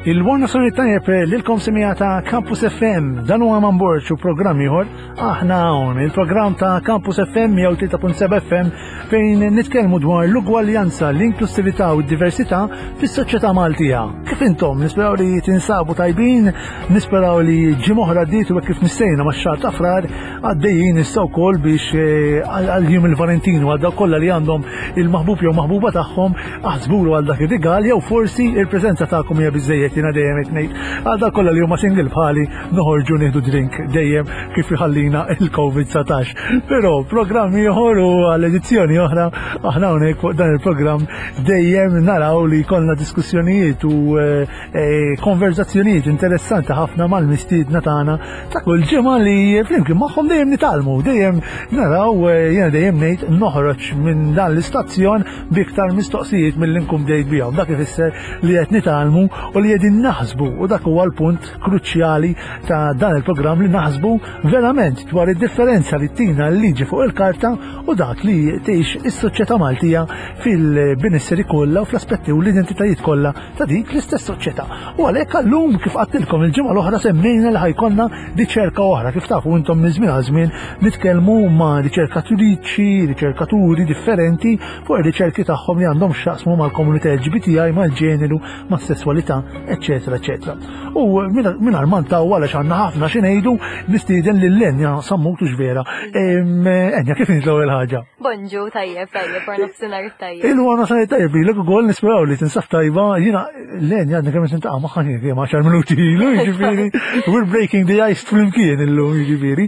Il-Warna Sori Tajjeb lilkom semija ta' Campus FM, dan huwa Man Borg u programm ieħor aħna hawn, il-programm ta' Campus FM jew 3.7 FM fejn nitkellmu dwar l-ugwaljanza, l-inklusività u d-diversità fis-soċjetà Maltija. Kif intom nisperaw li tinsabu tajbin, nisperaw li ġimgħa oħra għaddiet u kif missejna max-xahar ta' frar għaddejjin issa wkoll biex eh, għal jum il-Valentinu għal dawk kollha li għandhom il-maħbub jew maħbuba tagħhom aħsbulu għal dak ir-rigal jew forsi il-preżenza tagħkom hija biżejjed jiena dejjem qed ngħid għal dawk kollha li huma single bħali noħorġu nieħdu drink dejjem kif iħallina il-COVID-19. Però programm ieħor u għal edizzjoni oħra aħna hawnhekk fuq dan il-programm dejjem naraw li jkollna diskussjonijiet u eh, eh, konverzazzjonijiet interessanti ħafna mal-mistiedna tagħna ta' kull ġimgħa li flimkien magħhom dejjem nitgħallmu, dejjem naraw eh, jiena dejjem ngħid noħroġ minn dan l-istazzjon biktar mistoqsijiet milli nkun bdejt bihom. Dak ifisser li qed nitgħallmu u li qegħdin naħsbu u dak huwa l-punt kruċjali ta' dan il-programm li naħsbu verament dwar id-differenza li tina l-liġi fuq il-karta u dak li tgħix is-soċjetà Maltija fil-benesseri kollha u fl-aspetti u l-identitajiet kollha ta' dik l-istess soċjetà. U għalhekk għallum kif għattilkom il-ġimgħa l-oħra semmejna li ħajkonna riċerka oħra. Kif tafu intom minn żmien għal żmien nitkellmu ma' riċerkatriċi, riċerkaturi differenti fuq ir-riċerki tagħhom li għandhom x'jaqsmu mal-komunità LGBTI, mal-ġeneru, mas-sesswalità, eċetera, eċetera. U mingħajr ma ntaw għaliex għandna ħafna xi ngħidu nistieden lil Enja Sammut u vera. Enja kif int l-ewwel ħaġa? Bonġu, tajjeb, tajjeb, wara nofsinhar tajjeb. Il-wara nofsinhar tajjeb, lilek ukoll nisperaw li tinsab tajba, jiena Len għadni kemm tintaqa' magħha kemm 10 minuti ilu, jiġifieri, we're breaking the ice flimkien illum, jiġifieri.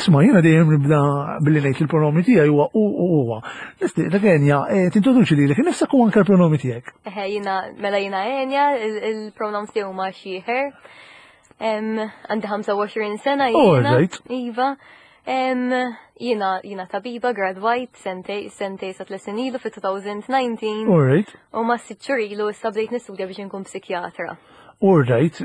Isma' jiena dejjem nibda billi ngħid il-pronomi tiegħi huwa u u huwa. Nistieqlek Enja, eh, tintroduċi lilek innifsek u anke l-pronomi tiegħek. Eħe, jiena mela jiena Enja, il-pronoms tiegħi huma she, her. Għandi 25 sena jiena. Iva. Jiena jiena tabiba gradwajt sentej sentej sa tliet snin ilu fi-2019. Alright. U ma sitt xhur ilu issa bdejt nistudja biex inkun psikjatra. Alright,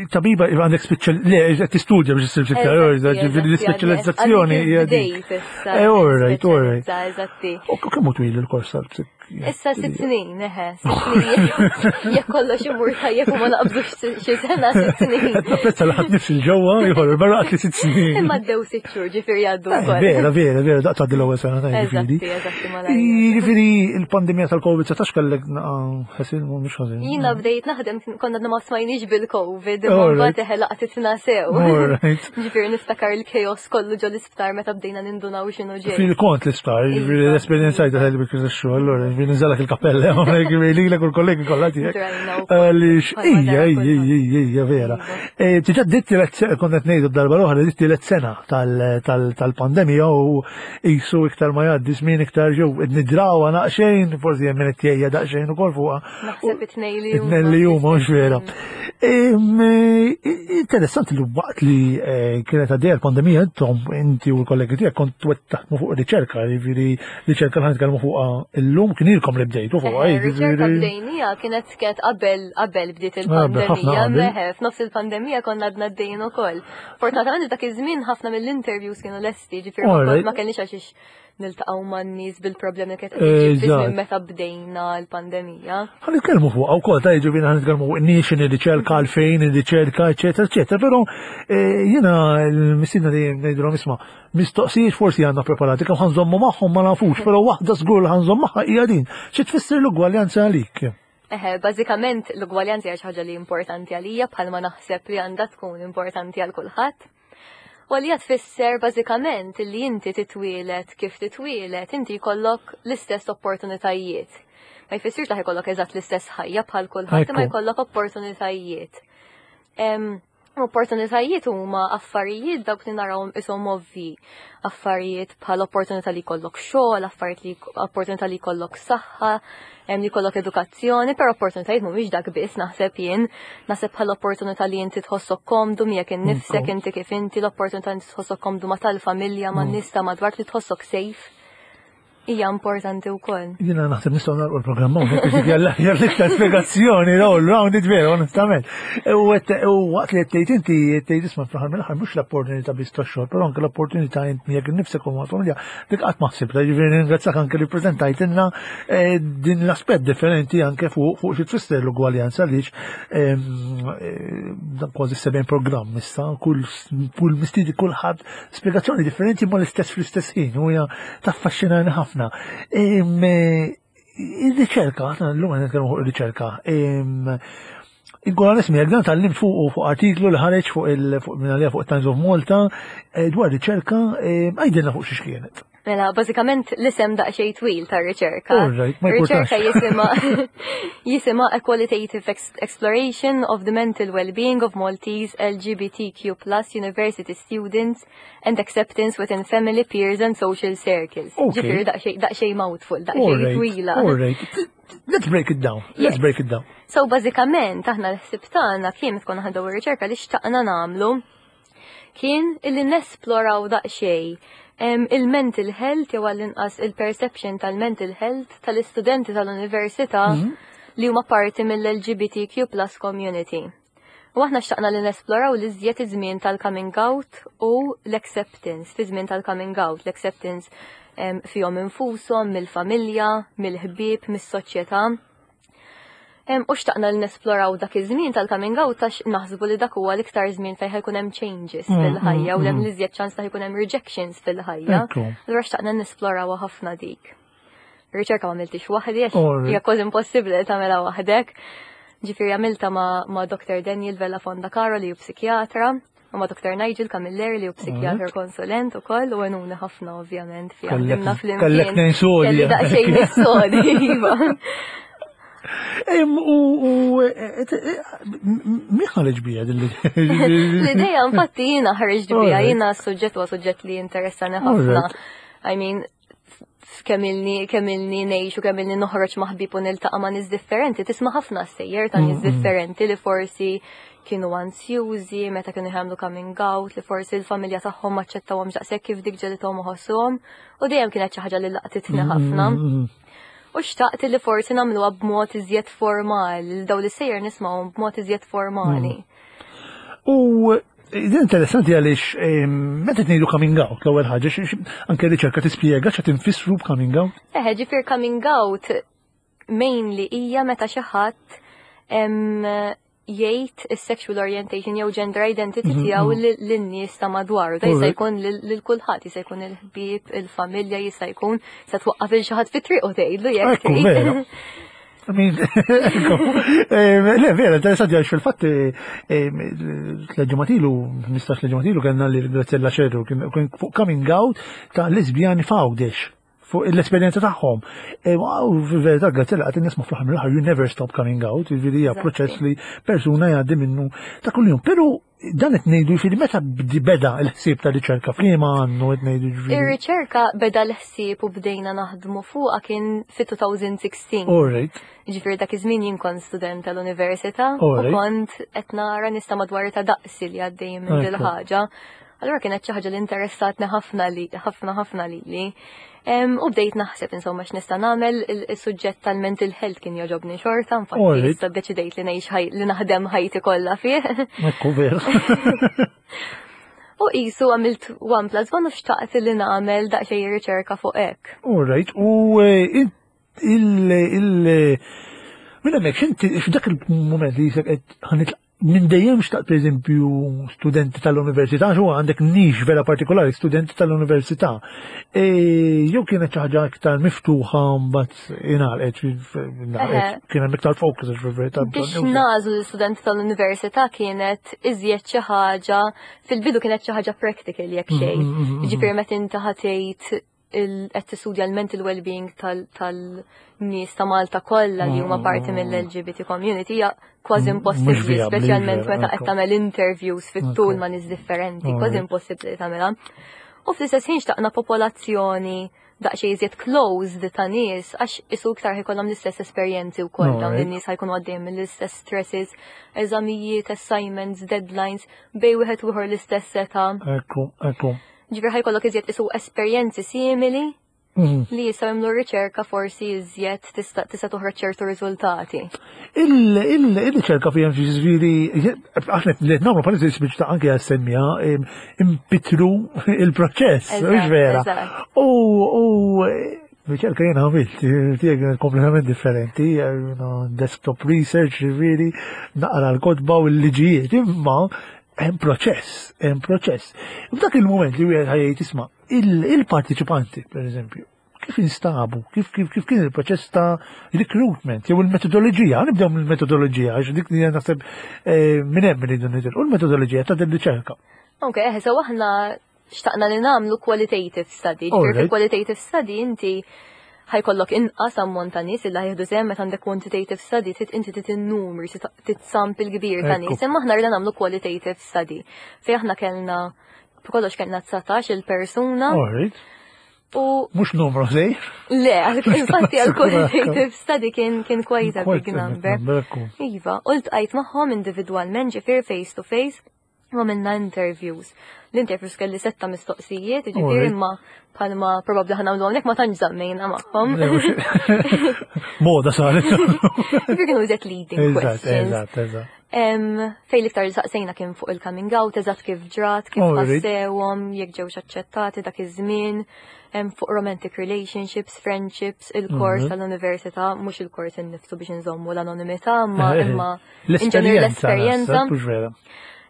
tabiba għandek speċjal, le, qed tistudja biex issir psikjatra, ġifieri l-ispeċjalizzazzjoni hija dik. Eh, alright, alright. Eżatti. U kemm hu twil il-kors tal-psik? Issa sitt snin, eħe, sitt snin. Jekk kollox imur tajjeb u ma naqbżux xi sena sitt snin. Qed napprezza li ħadd nifs il-ġewwa ieħor barra qatt li sitt snin. Imma ddew sitt xhur ġifieri jgħaddu eh, wkoll. Vera, vera, vera, daqt għaddi l-ewwel sena ta' ġifieri. Eżatti, eżatti, Jiġifieri il-pandemija tal-Covid 19 kellek ħasin mhux ħażin. Jiena bdejt naħdem konna għadna ma smajniex bil-Covid, imma mbagħad eħe laqtitna sew. Ġifieri niftakar il-chaos kollu ġol l-isptar meta bdejna nindunaw x'inhu ġej. Fil-kont l-isptar, jiġifieri l-esperjenza ta' bil kif xogħol, allura jiġifieri niżalak il-kappella, jiġifieri lilek u l-kollegi kollha tiegħek. Għaliex ija, ija, ija, ija, vera. E, Tiġa dit tielet kont qed ngħidu darba l-oħra, dit tielet sena tal-pandemija u qisu iktar ma jgħaddi żmien iktar ġew nidrawha naqxejn, forsi hemm min qed jgħejja daqsxejn ukoll fuqha. Naħseb it-tnej li huma. It-tnejn li huma, mhux vera. Interessanti li waqt li eh, kienet għaddejja l-pandemija intom inti u l-kollegi tiegħek kont taħdmu fuq riċerka, jiġifieri riċerka li ħanitkellmu fuqha illum kien ilkom li bdejtu fuqha. Eh, riċerka bdejnija kienet kienet qabel qabel bdiet il-pandemija, meħe, f'nofs il-pandemija konna għadna għaddejjin ukoll. Fortunatament dak iż-żmien ħafna mill-interviews kienu lesti, ġifieri ma kellniex għax niltaqgħu man-nies bil-problemi kif qed meta bdejna l-pandemija. Ħa nitkellmu fuqha wkoll ta' jiġifieri ħa nitkellmu fuq in-nies ir-riċerka għalfejn ir-riċerka, eċetera, eċetera, però eh, jiena l-mistiedna dejjem ngħidulhom isma' mistoqsijiet forsi għandna preparati kemm ħanżommu magħhom ma nafux, però waħda żgur li ħanżomm magħha hija din. Xi tfisser l-ugwaljanza għalik? Eħe, bażikament l-ugwaljanza hija xi ħaġa li importanti għalija bħalma naħseb li għandha tkun importanti għal kulħadd. U għalija tfisser bażikament li inti titwielet kif titwielet, inti jkollok l-istess opportunitajiet. Ma jfissirx li jkollok eżatt l-istess ħajja bħal kulħadd, imma jkollok opportunitajiet. Opportunitajiet huma affarijiet dawk li narawhom ishom ovvi. Affarijiet bħal opportunità li jkollok xogħol, affarijiet li opportunità li jkollok saħħa, hemm li jkollok edukazzjoni, però opportunitajiet mhumiex dak biss naħseb jien, naħseb bħal opportunità li inti tħossok komdu miegħek innifsek inti kif inti, l-opportunità li tħossok komdu ma' tal-familja, ma' mm. nies ta' madwar li tħossok safe. Hija importanti wkoll. Jiena naħseb nistgħu nagħlqu l-programm hawnhekk biex jalla l-iktar spjegazzjoni all round it veru onestament. U waqt li qed tgħid inti qed tgħid isma' fl-aħħar mill-aħħar mhux l-opportunità biss tax-xogħol, però anke l-opportunità int miegħek innifsek u mal-familja dik qatt ma ħsibtha, jiġifieri ringrazzjak anke li ppreżentajtilna eh, din l-aspett differenti anke fuq fuq xi tfisser l-ugwaljanza għaliex ehm, eh, kważi seben programm issa kull kull mistiedi kulħadd spjegazzjoni differenti ma l-istess fl-istess ħin u hija taffaxxinani ħafna. Eh, ir-riċerka, aħna llum qed nitkellmu fuq ir-riċerka, Inkun għan jekk dan tal-lim fuq fuq artiklu li ħareġ fuq il fuq minn fuq Times of Malta eh, dwar riċerka eh, għajdilna fuq xiex kienet. Mela, bażikament l-isem daqsxejn twil tar-riċerka. Riċerka jisimha jisimha A Qualitative Exploration of the Mental Well-being of Maltese LGBTQ plus University Students and Acceptance within Family, Peers and Social Circles. Ġifieri daqsxejn mouthful, daqsxejn twila. Let's break it down. Let's break it down. So bażikament aħna l-ħsieb tagħna kien tkun ħadu ir-riċerka li xtaqna nagħmlu kien illi nesploraw daqsxejn il-mental health jew għall-inqas il-perception tal-mental health tal-istudenti tal-università mhm. li huma parti mill-LGBTQ plus community. U aħna xtaqna li nesploraw li żjed iż-żmien tal-coming out u l-acceptance, fi żmien tal-coming out, l-acceptance fihom infushom, mill-familja, mill-ħbieb, mis-soċjetà. U xtaqna li nesploraw dak iż-żmien tal-coming out għax naħsbu li dak huwa l-iktar żmien fejn ħajkun hemm changes fil-ħajja u hemm l-iżjed ċans ta' jkun hemm rejections fil-ħajja. Allura xtaqna nesploraw ħafna dik. Riċerka ma għamiltix waħdi għax hija kważi impossibbli li tagħmilha waħdek. Ġifieri għamilta ma' Dr. Daniel Vella Fondacaro li hu psikjatra u ma' Dr. Nigel Camilleri li hu psikjatra konsulent ukoll u għenuni ħafna ovvjament fi ħdimna flimkien. Kellek nejn sodi. Kelli daqsxejn sodi, iva. U e, e, e, min ħareġ bija din l-idea? Infatti jiena ħareġ bija, jiena s-suġġett huwa suġġett li interessani ħafna. I mean, kemm ilni kemm ilni ngħix u kemm ilni noħroġ ma' ħbieb u niltaqa' ma' nies differenti, tisma' ħafna sejjer ta' nies differenti li forsi kienu ansjużi meta kienu jagħmlu coming out, li forsi l-familja tagħhom ma aċċettawhomx daqshekk kif dik ġelithom iħossuhom u dejjem kienet xi ħaġa li laqtitni ħafna. U xtaqt li forsi nagħmluha b'mod iżjed formali, daw li sejjer nisma'hom b'mod iżjed formali. U Din interessanti għaliex meta tnejdu coming out l-ewwel ħaġa anke riċerka tispjega x'qed infissru b'coming out. Eħe, ġifier coming out mainly hija meta xi ħadd jgħid is-sexual orientation jew gender identity tiegħu lin-nies ta' madwaru. Da jista' jkun lil kulħadd, jista' jkun il-ħbieb, il-familja, jista' jkun se twaqqaf il xi ħadd fit-triq u tgħidlu jekk. Le, vera, interessanti għax fil-fatt l-ġematilu, 15 l-ġematilu kellna li Graziella Ċerru kien fuq coming out ta' lesbjani f'Għawdex fuq l-esperjenza tagħhom. E, u fil-verità Graziella qed nisma' fl-aħħar mill-aħħar you never stop coming out, jiġifieri hija proċess li persuna jgħaddi minnu ta' kuljum. Però dan qed ngħidu jiġifieri meta beda l-ħsieb ta' riċerka f'liema għandu qed ngħidu jiġifieri. Ir-riċerka beda l-ħsieb u bdejna naħdmu fuqha kien fit-2016. All right. Ġifieri dak iż-żmien jien kont student tal-università u kont qed nara nies ta' madwar ta' daqsi li għaddejjin minn dil ħaġa. Allura kienet xi ħaġa li interessatni ħafna li ħafna ħafna lili. U bdejt naħseb insomma x'nista' nagħmel is-suġġett tal-mental health kien jogħġobni xorta, infatti issa ddeċidejt li ngħix li naħdem ħajti kollha fih. Ekku veru. U qisu għamilt one plus one u xtaqt li nagħmel daqsxejn riċerka fuq hekk. All right, u eh, il il minn hemmhekk x'inti f'dak il-mument li jisek qed ħanitlaq minn dejjem xtaqt pereżempju studenti tal-università, xu għandek nix vera partikolari, studenti tal-università. E, jew kienet xi ħaġa iktar miftuħa mbagħad ingħalqet, kien hemm iktar focus għax fil-verità. Biex nażlu l-istudenti tal-università kienet iżjed xi ħaġa fil-bidu kienet xi ħaġa practical jekk xejn. Jiġifieri meta inti ħatejt qed tistudja l-mental well-being tal-nies ta' Malta kollha li huma parti mill-LGBT community hija kważi impossibbli, speċjalment meta qed tagħmel interviews fit-tul ma' nies differenti, kważi impossibbli tagħmilha. U fl-istess ħin xtaqna popolazzjoni daqsxejn iżjed closed ta' nies għax isu iktar ħajkollhom l-istess esperjenzi wkoll dawn in-nies ħajkunu għaddejjin mill-istess stresses, eżamijiet, assignments, deadlines, bej wieħed u ieħor l-istess età. Ekku, ekku. Ġifieri ħajkollok iżjed isu esperjenzi simili. Li jistgħu jagħmlu riċerka forsi iżjed tista' tista' toħroġ ċertu riżultati. Il-riċerka fi hemm ġifieri aħna li qed nagħmlu bħalissa biex ta' anke għas-semmija impitru il-proċess, mhux vera. U riċerka jiena għamilt, tiegħek kienet kompletament differenti, desktop research, ġifieri, naqra l-kotba u l-liġijiet, imma hemm proċess, hemm proċess. F'dak il-moment li wieħed ħajjed isma' il-partiċipanti, per eżempju, kif instabu, kif, kif, kif kien il-proċess ta' recruitment, jew il-metodoloġija, nibdew mill-metodoloġija, għax dik li naħseb eh, minn hemm iridu nitilqu l-metodoloġija ta' din riċerka. Ok, eh, so aħna xtaqna li nagħmlu qualitative study. Ġifieri qualitative study inti ħajkollok inqas ammont ta' nies illa jieħdu sehem meta għandek quantitative study trid inti trid in-numri trid sample kbir ta' nies. Imma aħna rridna nagħmlu qualitative study. Fejn aħna kellna b'kollox kellna 19 il-persuna. U mhux numru żgħir. Le, infatti għal qualitative study kien kien quite a big number. Iva, u ltqajt magħhom individwalment ġifier face to face u għamilna interviews. L-interviews kelli setta mistoqsijiet, ġifier imma bħalma probabbli ħa nagħmlu hawnhekk ma tantx żammejna magħhom. Moda saret. Ġifier kienu iżjed leading questions. Eżatt, eżatt. Fej l-iktar li saqsejna kien fuq il-coming out, eżatt kif ġrat, kif ħassewhom, jekk ġewx aċċettati dak iż-żmien, fuq romantic relationships, friendships, il-kors tal-università, mhux il-kors innifsu biex inżommu l-anonimità, imma imma l-esperjenza.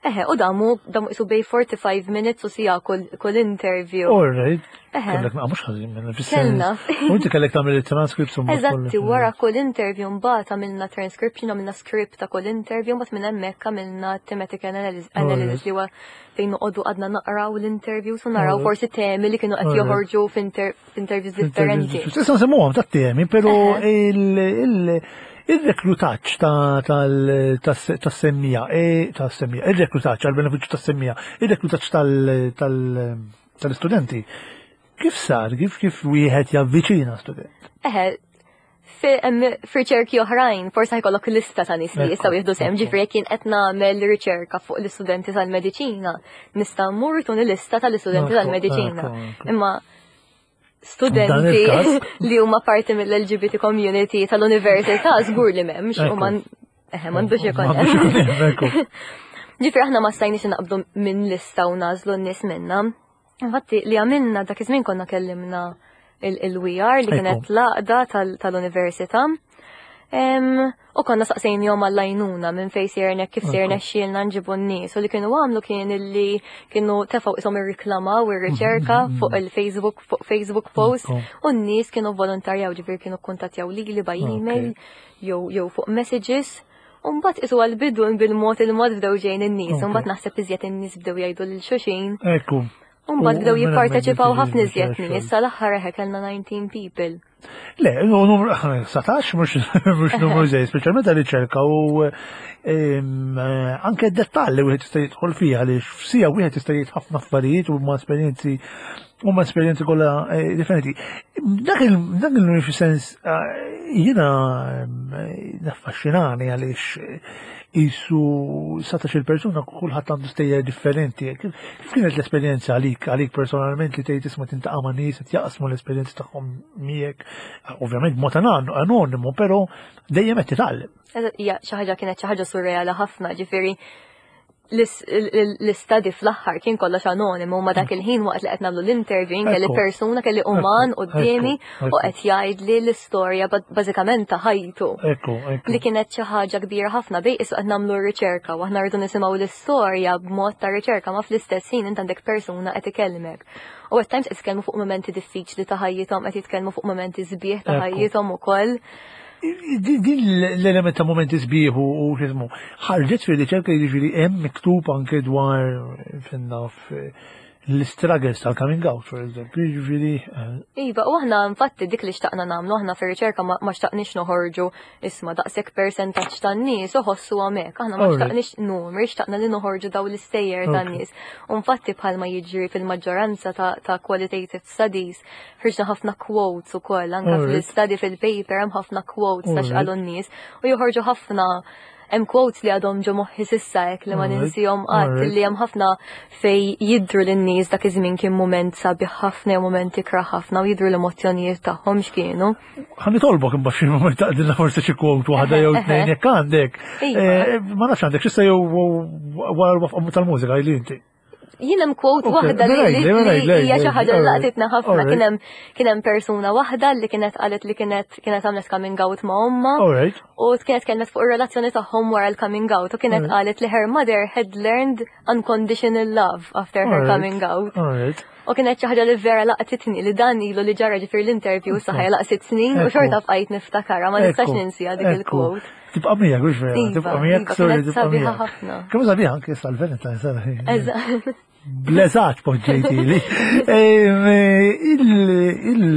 Eħe, u damu, damu isu bej 45 minutes u sija kull interview. All right. Eħe. Kellek naqqa mhux ħażin minn Kellna. U inti kellek tagħmel it-transcripts u Eżatti, wara kull interview mbagħad għamilna transcription, għamilna script ta' kull interview, mbagħad minn hemmhekk għamilna thematic analysis li huwa fejn noqogħdu għadna naqraw l-interviews u naraw forsi temi li kienu qed joħorġu f'interviews differenti. Issa nsemmuhom ta' temi, però il- Ir-reklutaġġ tas-semmija, e, tas-semmija, ir-reklutaġġ għall-benefiċċju tas-semmija, ir-reklutaġġ tal-istudenti, kif sar, kif kif wieħed javviċina student? Eħe, f'riċerki oħrajn, forsi ħajkollok lista ta' nies li jistgħu jieħdu sehem, ġifieri jekk jien qed nagħmel riċerka fuq l-istudenti tal-mediċina, nista' mmur tuni lista tal-istudenti tal-mediċina. Imma studenti li huma parti mill-LGBT community tal-università żgur li m'hemmx u man eħe m'għandux ikun hemm. Ġifieri aħna ma stajniex naqbdu minn lista u nażlu n-nies minna. Infatti li għamilna dak iż-żmien konna kellimna il-WR li kienet l-għaqda tal-università. U konna saqsejnihom għall-għajnuna minn fejn sejjer kif sejjer nexxielna nġibu n-nies u li kienu għamlu kien illi kienu tefgħu ishom irriklamaw ir-riċerka fuq il-Facebook fuq Facebook post u n-nies kienu volontarjaw ġifieri kienu kkuntattjaw lili by email jew jew fuq messages. U mbagħad isu għall-bidu bil-mod il-mod bdew ġejjin in-nies, u mbagħad naħseb iżjed in-nies bdew jgħidu lil xulxin. Ekku. U mbagħad bdew jipparteċipaw ħafna iżjed nies, sal-aħħar eħe kellna 19 people. Le, numru 19 mhux numru żej, speċjalment għal riċerka u eh, anke d-dettalli wieħed jista' jidħol fiha li f'sija wieħed jista' jgħid ħafna affarijiet u ma' esperjenzi u ma' esperjenzi kollha eh, differenti. Dak il fis-sens eh, jiena naffaxxinani għaliex Isu 19 persuna kulħadd għandu stejjer differenti. Kif kienet l-esperjenza għalik, għalik personalment li tgħid isma' tintaqa' ma' nies qed jaqsmu l-esperjenza tagħhom miegħek, ovvjament b'mod anonimu, però dejjem qed titgħallem. Hija xi ħaġa kienet xi ħaġa surreali ħafna, ġifieri l-istadi fl-aħħar kien kollox anonimu ma dak il-ħin waqt li qed nagħmlu l-interview kelli persuna kelli uman quddiemi u qed jgħidli l-istorja bażikament ta' ħajtu. Li kienet xi ħaġa kbira ħafna bej isu qed nagħmlu r-riċerka u aħna rridu nisimgħu l-istorja b'mod ta' riċerka ma fl-istess ħin int għandek persuna qed ikellmek. U at times qed jitkellmu fuq momenti diffiċli ta' ħajjithom, qed jitkellmu fuq momenti sbieħ ta' ħajjithom ukoll. Din l-element ta' momenti sbieħ u xismu, ħarġet fil-riċerka jiġifieri hemm miktub anke dwar finnaf l-struggles tal-coming out, for example, jiġifieri. Eh. Iva, u aħna infatti dik li xtaqna nagħmlu aħna fir-riċerka ma xtaqniex noħorġu isma' daqshekk persentaġġ tan-nies u ħossu hemmhekk. Aħna ma xtaqniex numri, xtaqna li noħorġu daw l-istejjer tan-nies. U infatti bħalma jiġri fil-maġġoranza ta' qualitative studies, ħriġna ħafna quotes ukoll anke fl-study fil-paper hemm ħafna quotes ta' x'qalu n-nies u joħorġu ħafna. Hemm quotes li għadhom ġo moħħi s'issa hekk li ma ninsihom qatt li hemm ħafna fej jidhru lin-nies dak iż-żmien kien mument sabiħ ħafna jew mument ikrah ħafna u jidhru l-emozzjonijiet tagħhom x'kienu. Ħa nitolbok imbagħad xi mument taqdilna forsi xi quote waħda jew tnejn jekk għandek. Iva. Eh, ma nafx għandek x'issa jew wara l-waqfa tal-mużika li inti. Jien hemm quote waħda li hija xi ħaġa li laqtitna ħafna kien hemm kien hemm persuna waħda li kienet qalet li kienet kienet għamlet coming out ma' ommha. U kienet kellmet fuq ir-relazzjoni tagħhom wara l-coming out u kienet qalet li her mother had learned unconditional love after her coming out. U kienet xi ħaġa li vera laqtitni li dan ilu li ġara ġifier l-interview saħħa laq sitt snin u xorta bqajt niftakarha ma nistax ninsija dik il-quote. Tibqa' miegħek, mhux vera, iva, tibqa' miegħek, iva, sorry, tibqa' miegħek. ħafna. Kemm sabiħa anke sal-Valentine sara. Eżatt. Bleżat poġġejtili.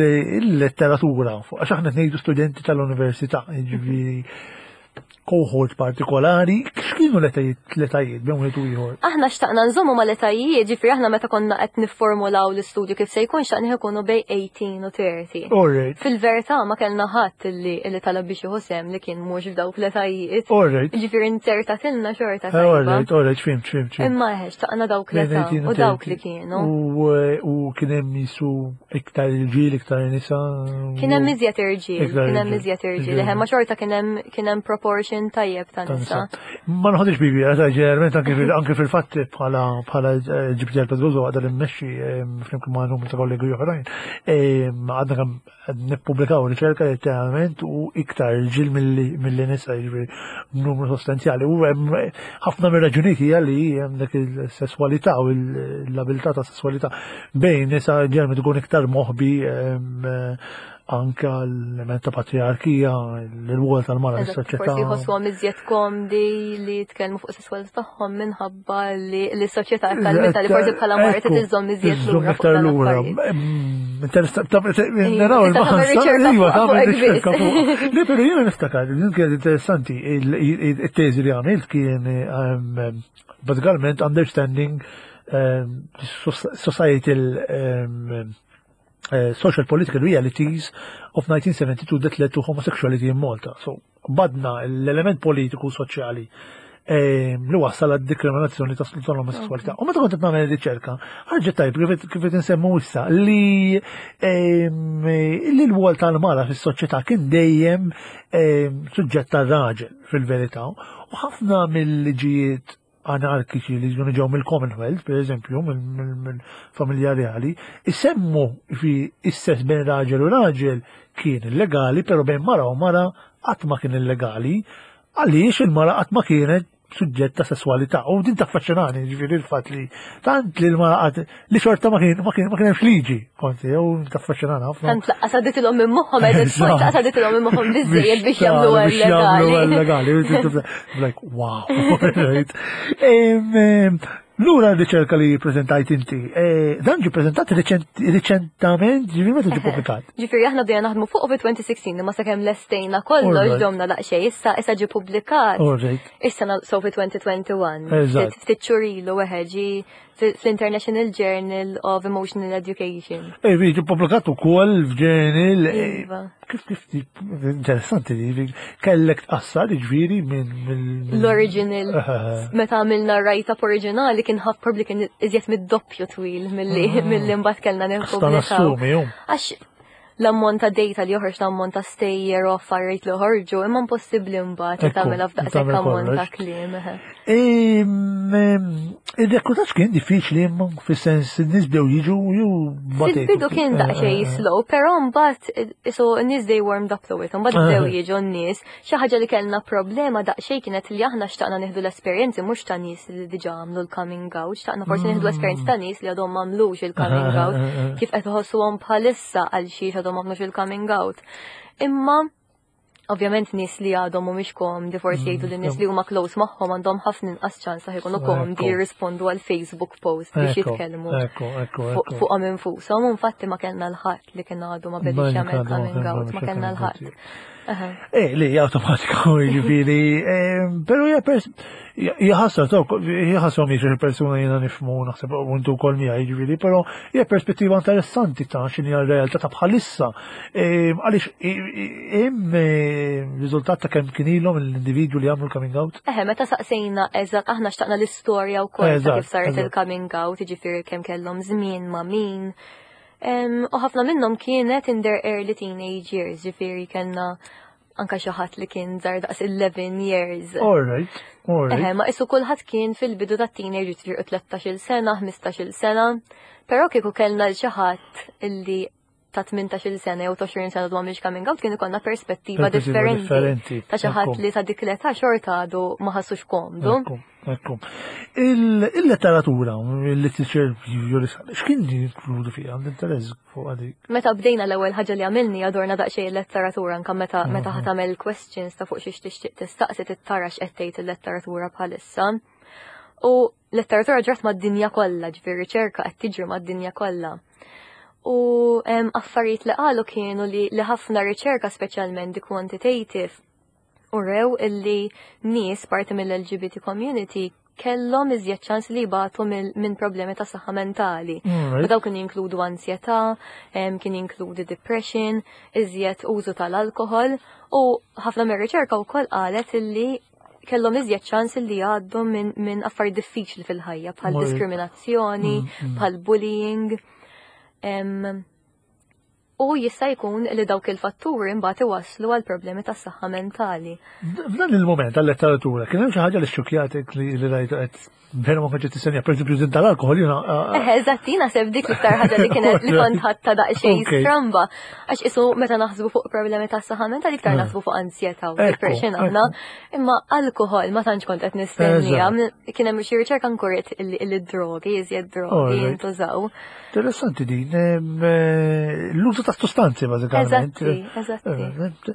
Il-letteratura, għax aħna ngħidu studenti tal-università, jiġifieri cohort partikolari, x'kienu l-etajiet l-etajiet bejn wieħed u ieħor? Aħna xtaqna nżommu mal-etajiet, ġifieri aħna meta konna qed nifformulaw l-istudju kif se jkun xtaqna ikunu bejn 18 u 30. Alright. Fil-verità ma kellna ħadd li li talab biex jieħu sehem li kien mhux f'dawk l-etajiet. Alright. Ġifieri inzertatilna xorta Eh, tajba. Alright, alright, fimt, fimt, fimt. Imma eħe, xtaqna dawk l-età Bejn 18 u u dawk 30. li kienu. U eh, u kien hemm jisu iktar irġiel, iktar nisa. Kien hemm iżjed irġiel, Iktar kien hemm irġiel. iżjed irġiel, Irġiel. eħe, ma xorta kien hemm kien hemm proportion tajjeb ta' Ta' nisa. nisa. Ma nħodix bibi, għata ġeneralment anke fil- anke fil-fatt bħala bħala eh, ġibti għal-Pedrozo għadha li mmexxi eh, flimkien ma' numru ta' kollegi oħrajn. eh, Għadna kemm qed nippubblikaw riċerka letteralment u iktar irġiel milli milli nisa jiġifieri numru sostanzjali. U hemm ħafna mir-raġunijiet hija li hemm dak il-sesswalità u l-abilità ta' sesswalità bejn nisa ġeneralment ikun iktar moħbi em, anka l-element ta' patriarkija, l-rwol tal-mara Eżatt, fis-soċjetà. Forsi jħossuhom iżjed komdi li jitkellmu fuq sesswalità tagħhom minħabba li l-soċjetà kalmita li forsi bħala mara Ekku, tiżżomm iżjed tiżżomm lura fuq iktar dan lura. l-affarijiet. Naraw Tista' tagħmel il-baħan. riċerka Iva, fuq- tagħmel fuq riċerka biss. fuq. Le, però jiena niftakar, din kienet interessanti, il-teżi li għamilt kien bażikament understanding societal social political realities of 1972 that led to homosexuality in Malta. So, badna l-element politiku soċjali li wassal għad diskriminazzjoni ta' tal-omosessualità. U meta kont qed nagħmel riċerka, ħarġet tajb kif qed insemmu issa li li l-wol tal-mara fis-soċjetà kien dejjem suġġett tar-raġel fil-verità. U ħafna mill-liġijiet anarkiċi li ġew ġew mill-Commonwealth, per eżempju, mill-familja reali, isemmu fi is-sess bejn raġel u raġel kien illegali, pero bejn mara u mara qatt ma kien illegali, għaliex il-mara qatt ma kienet suġġett ta' sessualità. U din taffaxxinani, ġifieri il-fatt li tant li l-mara qatt li xorta ma kien hemmx liġi, konti, jew taffaxxinani ħafna. Tant laqqas għadditilhom minn moħħhom, għedet laqqas għadditilhom minn moħħhom biżżejjed biex jagħmlu biex jagħmlu legali. legali. Like, wow. Right. Lura r-riċerka li prezentajt inti, dan ġi prezentat riċentament, ġifieri meta ġi publikat? Ġifieri aħna bdejna naħdmu fuq fi 2016, imma sakemm lestejna kollox domna daqsxejn, issa ġi publikat. Issa so fi 2021. Ftit xhur ilu weħe ġi fl-International Journal of Emotional Education. Ej, ġi publikat ukoll f'journal. Kif interessanti li kellek tqassar ġifieri minn L-original. Meta għamilna write-up oriġinali kien ħaf probably kien iżjed mid-doppju twil milli mbagħad kellna nippubblikaw. Nassumi, ju. Għax l-ammont ta' data li joħroġ, l-ammont ta' stejjer u affarijiet li joħorġu, imma impossibbli mbagħad li tagħmilha f'daqshekk tagħmel ammont ta' kollox. kliem. Eħe. Il-rekrutaġġ kien diffiċli imma fis-sens in-nies bdew jiġu jew batejtu? Fil-bidu kien daqsxejn slow, però mbagħad so n-nies they warmed up to it, mbagħad bdew jiġu n-nies. Xi ħaġa li kellna problema daqsxejn kienet li aħna xtaqna nieħdu l-esperjenzi mhux ta' nies li diġà għamlu l-coming out, xtaqna forsi nieħdu l-esperjenzi ta' nies li għadhom m'għamlux il-coming out, kif qed iħossuhom bħalissa għal xiex għadhom m'għamlux il-coming out. Imma ovvjament nies li għadhom mhumiex komdi forsi jgħidu li nies li huma close magħhom għandhom ħafna inqas ċans li jkunu komdi jirrispondu għal Facebook post biex jitkellmu Ekku, ekku, ekku. fuqhom infushom. U infatti ma kellna l-ħadd li kien għadu ma bedix Ma jagħmel għadu ma coming kien out, ma għadu kellna jagħmel l-ħadd. Aha. Li automatika, ġifieri, pero hija pers hija ħasra, hija ħasra mhix il-persuna jiena nifhmu naħseb u intu wkoll miegħi, ġifieri, però hija perspettiva interessanti ta' x'inhi r-realtà ta' bħalissa. Għaliex hemm riżultat ta' kemm kien ilhom l-individwu li għamlu l-coming out? Eħe, meta saqsejna eżatt aħna xtaqna l-istorja wkoll ta' kif saret il-coming out, jiġifieri kemm kellhom żmien ma' min. U ħafna minnhom kienet in their early teenage years, ġifieri kellna anka xi ħadd li kien żgħar daqs 11 years. All right, all right. Eħe, ma isu kulħadd kien fil-bidu ta' teenage ġifieri 13-il sena, 15-il sena. Però kieku kellna l xi ħadd illi ta' 18-il sena jew 20 sena dwar mhix coming out kien ikollna perspettiva differenti ta' xi ħadd li ta' dik l-età xorta għadu ma ħassux komdu. Ekku. Il-letteratura, il-literature x'kien jinkludu fiha l-interess fuq għadik? Meta bdejna l-ewwel ħaġa li għamilni għadorna daqsxejn il-letteratura anke meta meta ħa tagħmel questions ta' fuq xiex tixtieq tistaqsi tittara x'qed tgħid il-letteratura bħalissa. U letteratura ġrat mad-dinja kollha, ġifieri riċerka qed tiġri mad-dinja kollha. U affarijiet li qalu kienu li, li ħafna riċerka speċjalment di quantitative u rew illi nies parti mill-LGBT community kellhom iżjed ċans li jbatu minn problemi ta' saħħa mentali. U daw kien jinkludu ansjetà, kien jinkludi depression, iżjed użu tal-alkohol u ħafna mir-riċerka wkoll qalet illi kellhom iżjed ċans li jgħaddu minn min affarijiet diffiċli fil-ħajja bħal diskriminazzjoni, bħal bullying. U jista' jkun li dawk il-fatturi mbagħad iwasslu għal problemi tas saħħa mentali. F'dan il-moment għal-letteratura kien hemm xi ħaġa li xxukjatek li rajtu qed Vera ma kontx tistenja, per eżempju, din tal-alkohol jiena. Eh, eżatt, jiena seb dik l-iktar ħaġa li kienet li kont ħatta daqsxejn stramba. Għax isu meta naħsbu fuq problemi ta' saħħa mentali iktar naħsbu fuq ansjetà u depression aħna. Imma alkohol ma tantx kont qed nistennija. Kien hemm xi riċerka nkuret il-drogi, iżjed drogi jintużaw. Interessanti din, l-użu ta' sostanzi bażikament. Eżatti, eżatti.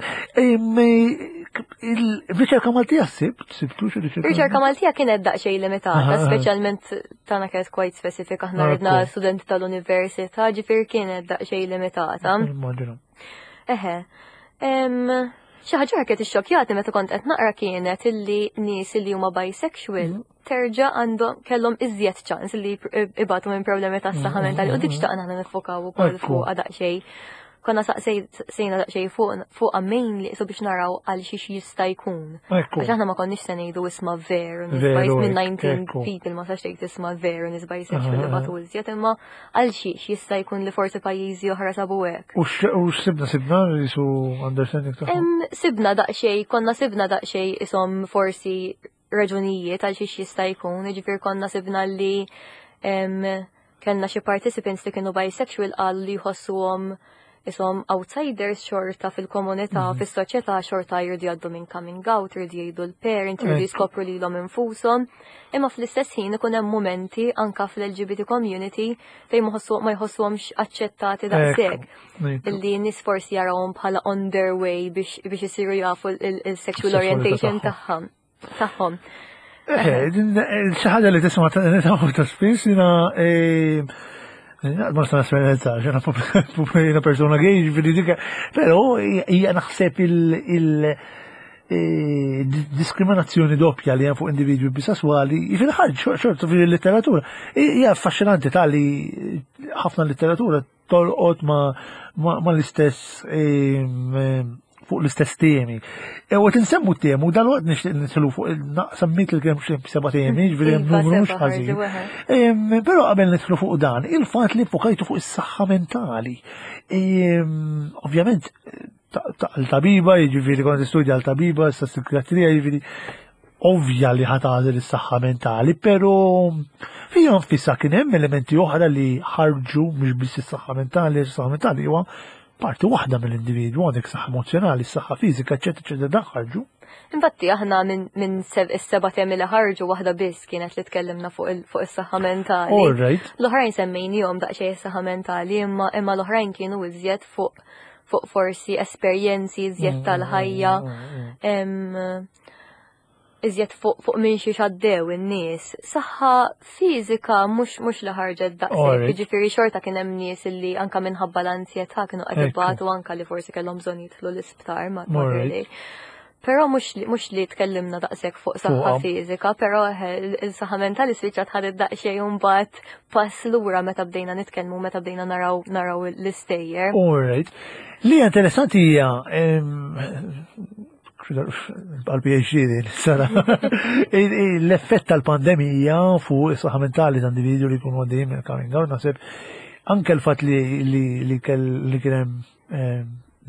Il-riċerka Maltija sibt, sibtu xi riċerka? Riċerka Maltija kienet daqsxejn limitata, speċjalment tagħna kienet quite specific aħna ridna studenti tal-università, ġifier kienet daqsxejn limitata. Eħe. Xi ħaġa kienet ixxokkjati meta kont qed naqra kienet illi nies li huma bisexual terġa' għandhom kellhom iżjed ċans li ibatu minn problemi tas saħħa mentali u dik xtaqna aħna nifokaw ukoll fuqha daqsxejn. Konna saqsejna daqsxejn fuqha mainly so biex naraw għal xiex jista' jkun. Għax aħna ma konniex se ngħidu isma' veru nies minn 19 people ma sax tgħid isma' veru nies bisexual li batu iżjed imma għal xiex jista' jkun li forsi pajjiżi oħra sabu hekk. U x'sibna sibna jisu understanding tagħhom? Sibna daqsxejn, konna sibna daqsxejn ishom forsi raġunijiet għal xiex jista' jkun, jiġifieri konna sibna li kellna xi participants li kienu bisexual qal li jħossuhom ishom outsiders xorta fil-komunità, fis-soċjetà xorta jridu jgħaddu minn coming out, jridu jgħidu l-parents, jridu jiskopru lilhom infushom. Imma fl-istess ħin ikun hemm momenti anka fl-LGBT community fejn ma jħossuhomx aċċettati daqshekk. Illi nies forsi jarawhom bħala on their way biex isiru jafu il-sexual orientation tagħhom. Tagħhom. Xi ħaġa li tisma' ta' spiss jiena ma nista' nesperjenza, jiena jiena persuna gay, ġifieri dik, però hija naħseb il diskriminazzjoni doppja li hemm fuq individwi bisesswali fil-ħarġ xorta fil-letteratura. Hija affaxxinanti tali ħafna letteratura tolqot ma l-istess fuq l-istess temi. E u tinsemmu temu, dal-waqt nixtieq nitlu fuq semmit il kemm xi seba' temi, ġifieri hemm numru mhux ħażin. Però qabel nidħlu fuq dan, il-fatt li fokajtu fuq is-saħħa mentali. Ovvjament tal-tabiba, jiġifieri kont istudja l-tabiba, issa psikiatrija, jiġifieri ovvja li ħatagħżel is-saħħa mentali, però fija nfisha kien hemm elementi oħra li ħarġu mhux biss is-saħħa mentali, is-saħħa mentali huwa parti waħda mill-individwu għandek saħħa emozjonali, saħħa fiżika, eċetera, eċetera, dan ħarġu. Infatti aħna minn is-seba' temi li ħarġu waħda biss kienet li tkellimna fuq is-saħħa mentali. All right. L-oħrajn semmejnihom daqsxejn is-saħħa mentali, imma imma l-oħrajn kienu iżjed fuq fuq forsi esperjenzi iżjed tal-ħajja. Iżjed fuq fuq minn xi xaddew in-nies. Saħħa fiżika mhux mhux li ħarġet daqshekk, jiġifieri xorta kien hemm nies illi anka minħabba l-ansjetà kienu qed ibatu anka li forsi kellhom bżonn jidħlu l-isptar ma' Però mhux li tkellimna daqshekk fuq saħħa fiżika, però il-saħħa mentali spiċċat ħadet daqsxejn mbagħad pass lura meta bdejna nitkellmu, meta bdejna naraw naraw l-istejjer. All right. Li interessanti hija għal-PhD din, sara, l-effett tal-pandemija fuq is-saħħa mentali ta' individwi li jkunu għaddejjin minn coming out, naħseb anke l-fatt li kien hemm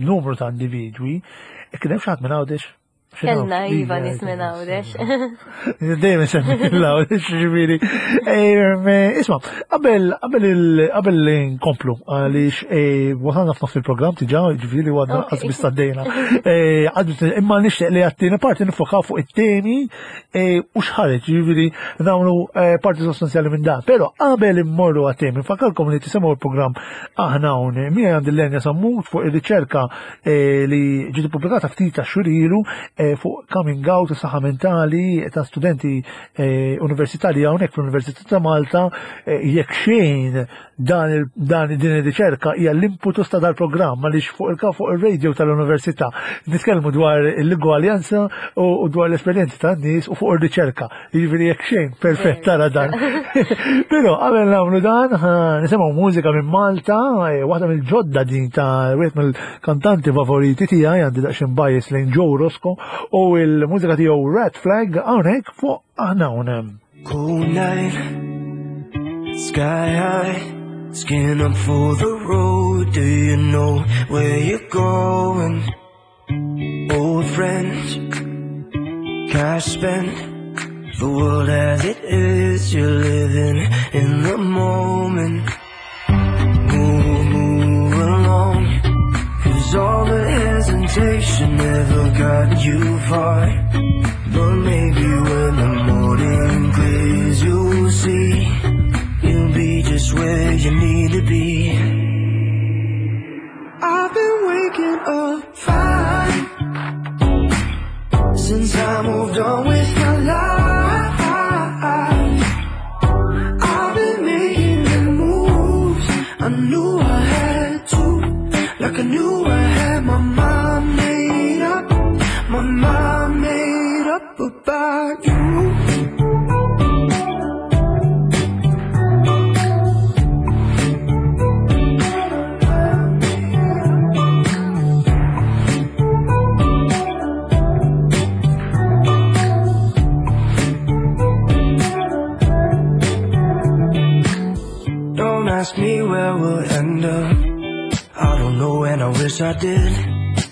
numru ta' individwi, kien hemm xi ħadd minn Għawdex? Kellna iva nies minn Għawdex. Dejjem semmi l-Għawdex, ġifieri. Isma', qabel qabel qabel li nkomplu għaliex eh, wasalna f'nofs il-programm diġà, ġifieri għadna qas biss għaddejna. Eh, imma nixtieq li għat-tieni parti nifokaw fuq it-temi eh, u x'ħareġ, ġifieri nagħmlu parti sostanzjali minn dan. Però qabel immorru għat-temi, nfakkarkom li tisimgħu l-programm Aħna hawn miegħi għandi Lenja Sammut fuq ir-riċerka eh, li ġiet ippubblikata ftit ta' xhur ilu eh, fuq coming out u saħħa mentali ta' studenti eh, universitarji hawnhekk fl-Università ta' Malta jekk xejn dan dan din ir-riċerka hija l-imputus ta' dal-programm għaliex fuq il fuq ir-radio tal-università nitkellmu dwar l-igwaljanza u dwar l-esperjenzi tan-nies u fuq ir-riċerka. Jiġifieri jekk xejn, perfett tara dan. Però qabel nagħmlu dan, nisimgħu mużika minn Malta, eh, waħda mill-ġodda din ta' wieħed mill-kantanti favoriti tiegħi għandi daqsxejn bias lejn Joe Rosco u l-mużika tiegħu Red Flag hawnhekk fuq aħna hawn. Cold night, sky high, skin up for the road, do you know where you're going? Old friends, cash spent, the world as it is, you're living in the moment. Move, move along, cause all the hesitation never got you far. But maybe when the morning clears, you'll see, you'll be just where you need to be. I've been waking up fine since I moved on with my life. I've been making the moves I knew I had to, like I knew I had my mind made up, my mind made up about you. Don't ask me where we'll end up. I don't know and I wish I did.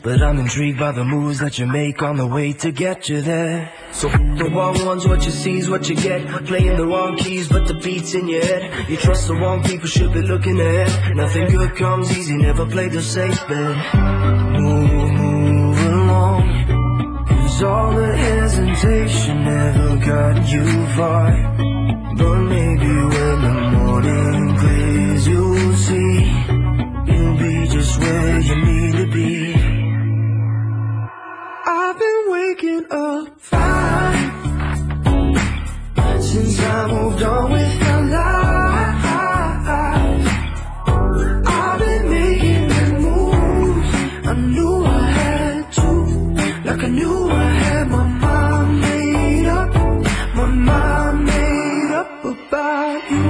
But I'm intrigued by the moves that you make on the way to get you there. So f the wrong ones, what you see is what you get. Playing the wrong keys, but the beat's in your head. You trust the wrong people, should be looking ahead. Nothing good comes easy, never play the safe bet. Move, move along. Cause all the hesitation never got you far. But maybe when the morning clears, you'll see you'll be just where you need to be. I've been waking up fine since I moved on with my life. I've been making the moves I knew I had to, like I knew I had my mind made up, my mind made up about you.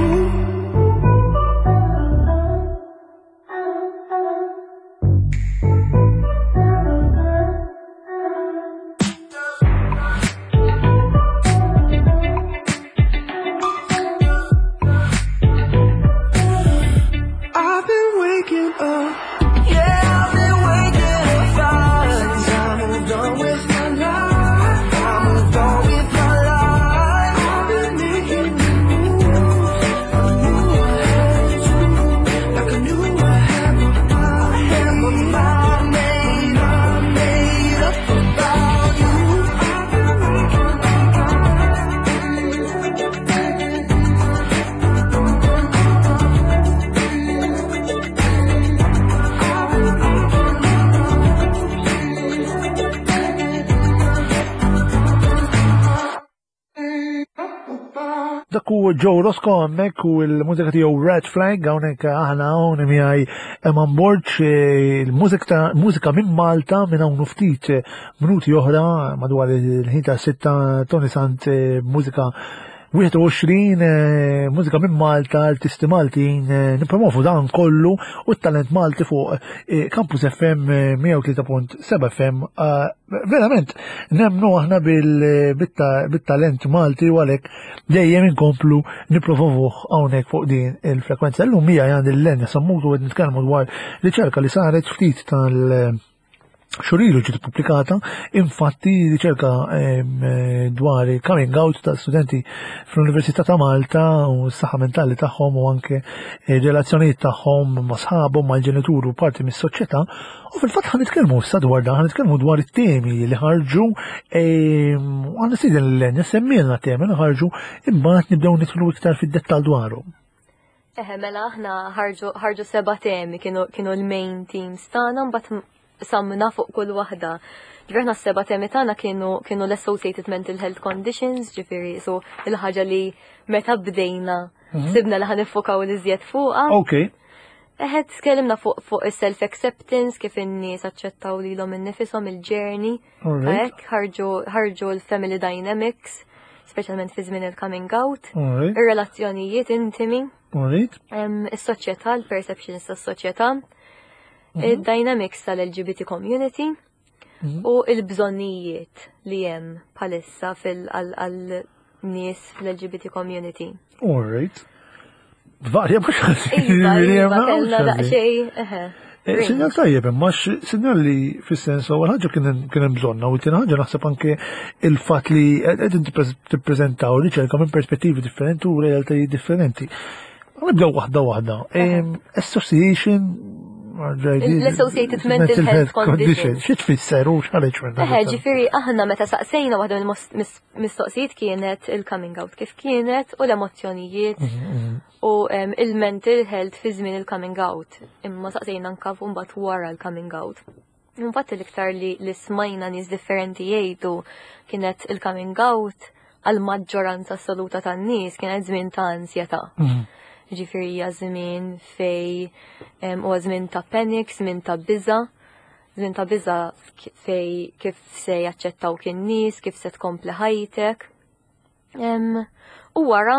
u Joe Roscoe hemmhekk u l-mużika tiegħu Red Flag hawnhekk aħna hawn miegħi Eman Borg il-mużika mużika minn Malta minn hawn ftit minuti oħra madwar il-ħin ta' sitta Tony Sant eh, mużika 21 eh, mużika minn Malta, artisti Maltin, eh, nipromovu dan kollu u t-talent Malti fuq eh, Campus FM 103.7 FM. Verament, nemnu aħna bil-talent Malti u għalek dejjem inkomplu nipromovuh hawnhekk fuq din il-frekwenza. Illum hija għand il-Lenja Sammutu qed nitkellmu dwar riċerka li saret ftit tal- Xurilu ġiet pubblikata, infatti riċerka dwar il-coming out ta' studenti fl-Università ta' Malta u s-saħħa mentali tagħhom u anke eh, relazzjonijiet tagħhom ma' sħabhom mal-ġenitur u parti mis-soċjetà. U fil-fatt ħan nitkellmu issa dwar dan, ħan nitkellmu dwar it-temi li ħarġu għan nistieden l-len semmilna temi li ħarġu imbagħad nibdew nidħlu iktar fid-dettall dwarhom. Eħe, mela aħna ħarġu seba' temi kienu, kienu l-main teams tagħna mbagħad samna fuq kull waħda. Ġifieri aħna s-seba' temi tagħna kienu kienu l-associated mental health conditions, ġifieri so il-ħaġa li meta bdejna mhm. sibna li ħanifokaw li żjed fuqha. Ok. Eħe, tkellimna fuq fuq is-self-acceptance, kif in-nies aċċettaw lilhom innifisom il-journey. Hekk ħarġu l-family dynamics, speċjalment fi żmien il-coming out, ir-relazzjonijiet intimi, is-soċjetà, l-perceptions tas-soċjetà, mhm. id-dynamics tal-LGBT community mhm. u il-bżonnijiet li hemm bħalissa fil-għal nies fl-LGBT community. All right. Varja mhux ħażin. Iva, iva, kellna daqsxejn, eħe. Eh, sinjal tajjeb, imma sinjal li fis-sens ewwel ħaġa kien hemm bżonna u tieni ħaġa naħseb anke il-fatt li qegħdin tippreżentaw riċerka minn perspettivi differenti u realtajiet differenti. Nibdew waħda waħda. Association L-Associated Mental Health Condition. Xi tfisser u x'ħareġ minn Eħe, ġifieri aħna meta saqsejna waħda mill-mistoqsijiet kienet il-coming out kif kienet u l-emozzjonijiet mhm, mhm. u il-mental health fi żmien il-coming out. Imma saqsejna anka mbagħad wara l-coming out. Infatti l-iktar li, li smajna nies differenti jgħidu kienet il-coming out għal maġġoranza assoluta tan-nies kienet żmien ta' ansjetà. Mhm. Ġifieri hija żmien fej huwa żmien ta' panic, żmien ta' biża', żmien ta' biża' fej kif se jaċċettaw kien nies, kif se tkompli ħajtek. U wara,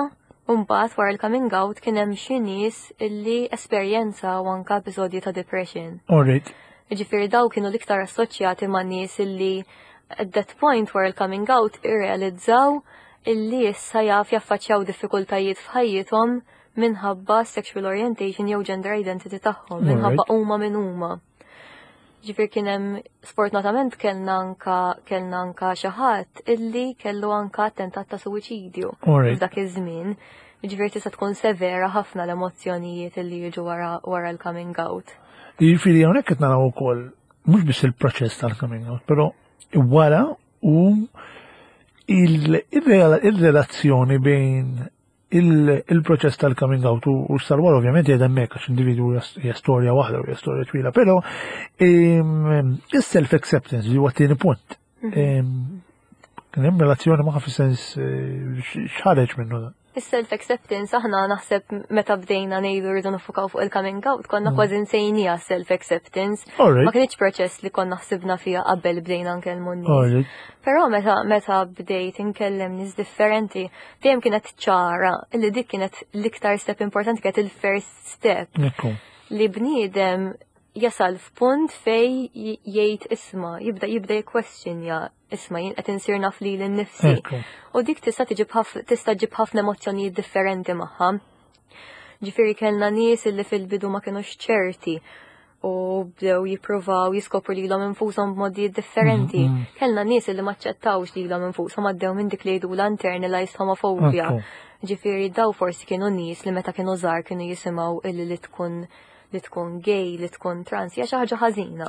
mbagħad wara l-coming out kien hemm xi nies illi esperjenza u anka episodji ta' depression. Alright. Ġifieri daw kienu l-iktar assoċjati ma' nies illi at that point wara l-coming out irrealizzaw illi issa jaf jaffaċċjaw diffikultajiet f'ħajjithom minħabba sexual orientation jew gender identity tagħhom, minħabba huma min huma. Ġifier kien hemm sfortunatament kellna anka kellna anka xi ħadd illi kellu anka attentat ta' suwiċidju f'dak iż-żmien. Ġifier tista' tkun severa ħafna l-emozzjonijiet illi jiġu wara, wara l-coming out. Jiġifieri hawnhekk qed naraw ukoll mhux biss il-proċess tal-coming out, però wara u il-relazzjoni bejn il-proċess tal-coming out u s-salwar ovvjament jgħid hemmhekk għax individwu hija storja waħda u hija storja twila, però is-self-acceptance li huwa t-tieni punt. Mhm. Kien hemm relazzjoni magħha fis-sens eh, x'ħareġ minnu dan. Is-self-acceptance aħna naħseb meta bdejna ngħidu rridu nifukaw fuq il-coming out konna mm. kważi nsejnija self-acceptance. Ma kienx proċess li konna ħsibna fiha qabel bdejna nkellmu n-nies. Però meta meta bdejt inkellem nies differenti, dejjem kienet ċara li dik kienet l-iktar step importanti kienet il-first step. Li bniedem jasal f'punt fej jgħid isma, jibda jibda jikkwestjonja isma jien qed insir naf lili nnifsi. U dik tista' tiġib tista' ġib ħafna emozzjonijiet differenti magħha. Ġifieri kellna nies illi fil-bidu ma kinux ċerti u bdew jippruvaw jiskopru lilhom infushom b'modijiet differenti. Mm, mm. Kellna nies illi ma ċċettawx lilhom infushom għaddew minn dik li jgħidulha internalized homophobia. Ġifieri daw forsi kienu nies li meta kienu żgħar kienu jisimgħu illi li tkun li tkun gay, li tkun trans, hija xi ħaġa ħażina.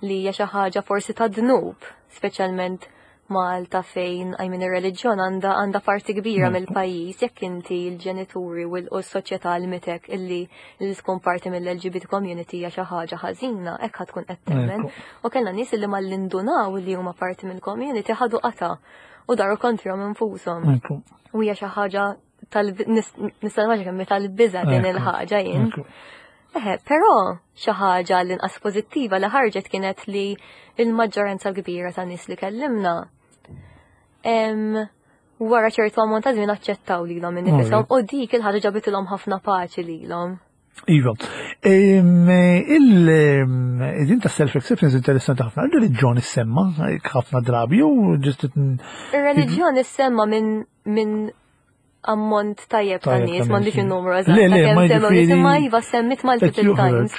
Li hija xi ħaġa forsi ta' dnub, speċjalment Malta fejn I mean ir-reliġjon għandha għandha parti kbira mill-pajjiż jekk inti l-ġenituri u l-soċjetà għallmitek illi li tkun parti mill-LGBT community hija xi ħaġa ħażina, hekk ħa tkun qed temmen. U kellna nies illi malli indunaw li huma parti mill-community ħadu qata u daru kontrihom infushom. U hija xi ħaġa tal nista' nimmaġina kemm tal-biża' din il-ħaġa jien. Eħe, però xi ħaġa l-inqas pożittiva li ħarġet kienet li l-maġġoranza l-kbira ta' nies li kellimna wara ċertu ammont ta' żmien aċċettaw lilhom innifishom u dik il-ħaġa ġabitilhom ħafna paċi lilhom. Iva, il-din ta' self-acceptance interessanti ħafna. Il-reliġjon issemma ħafna drabi u ġist. Il-reliġjon issemma minn ammont tajjeb ta' nies, m'għandix in-numru eżatt. Le, le, ma jiġifieri. Imma iva semmit multiple times.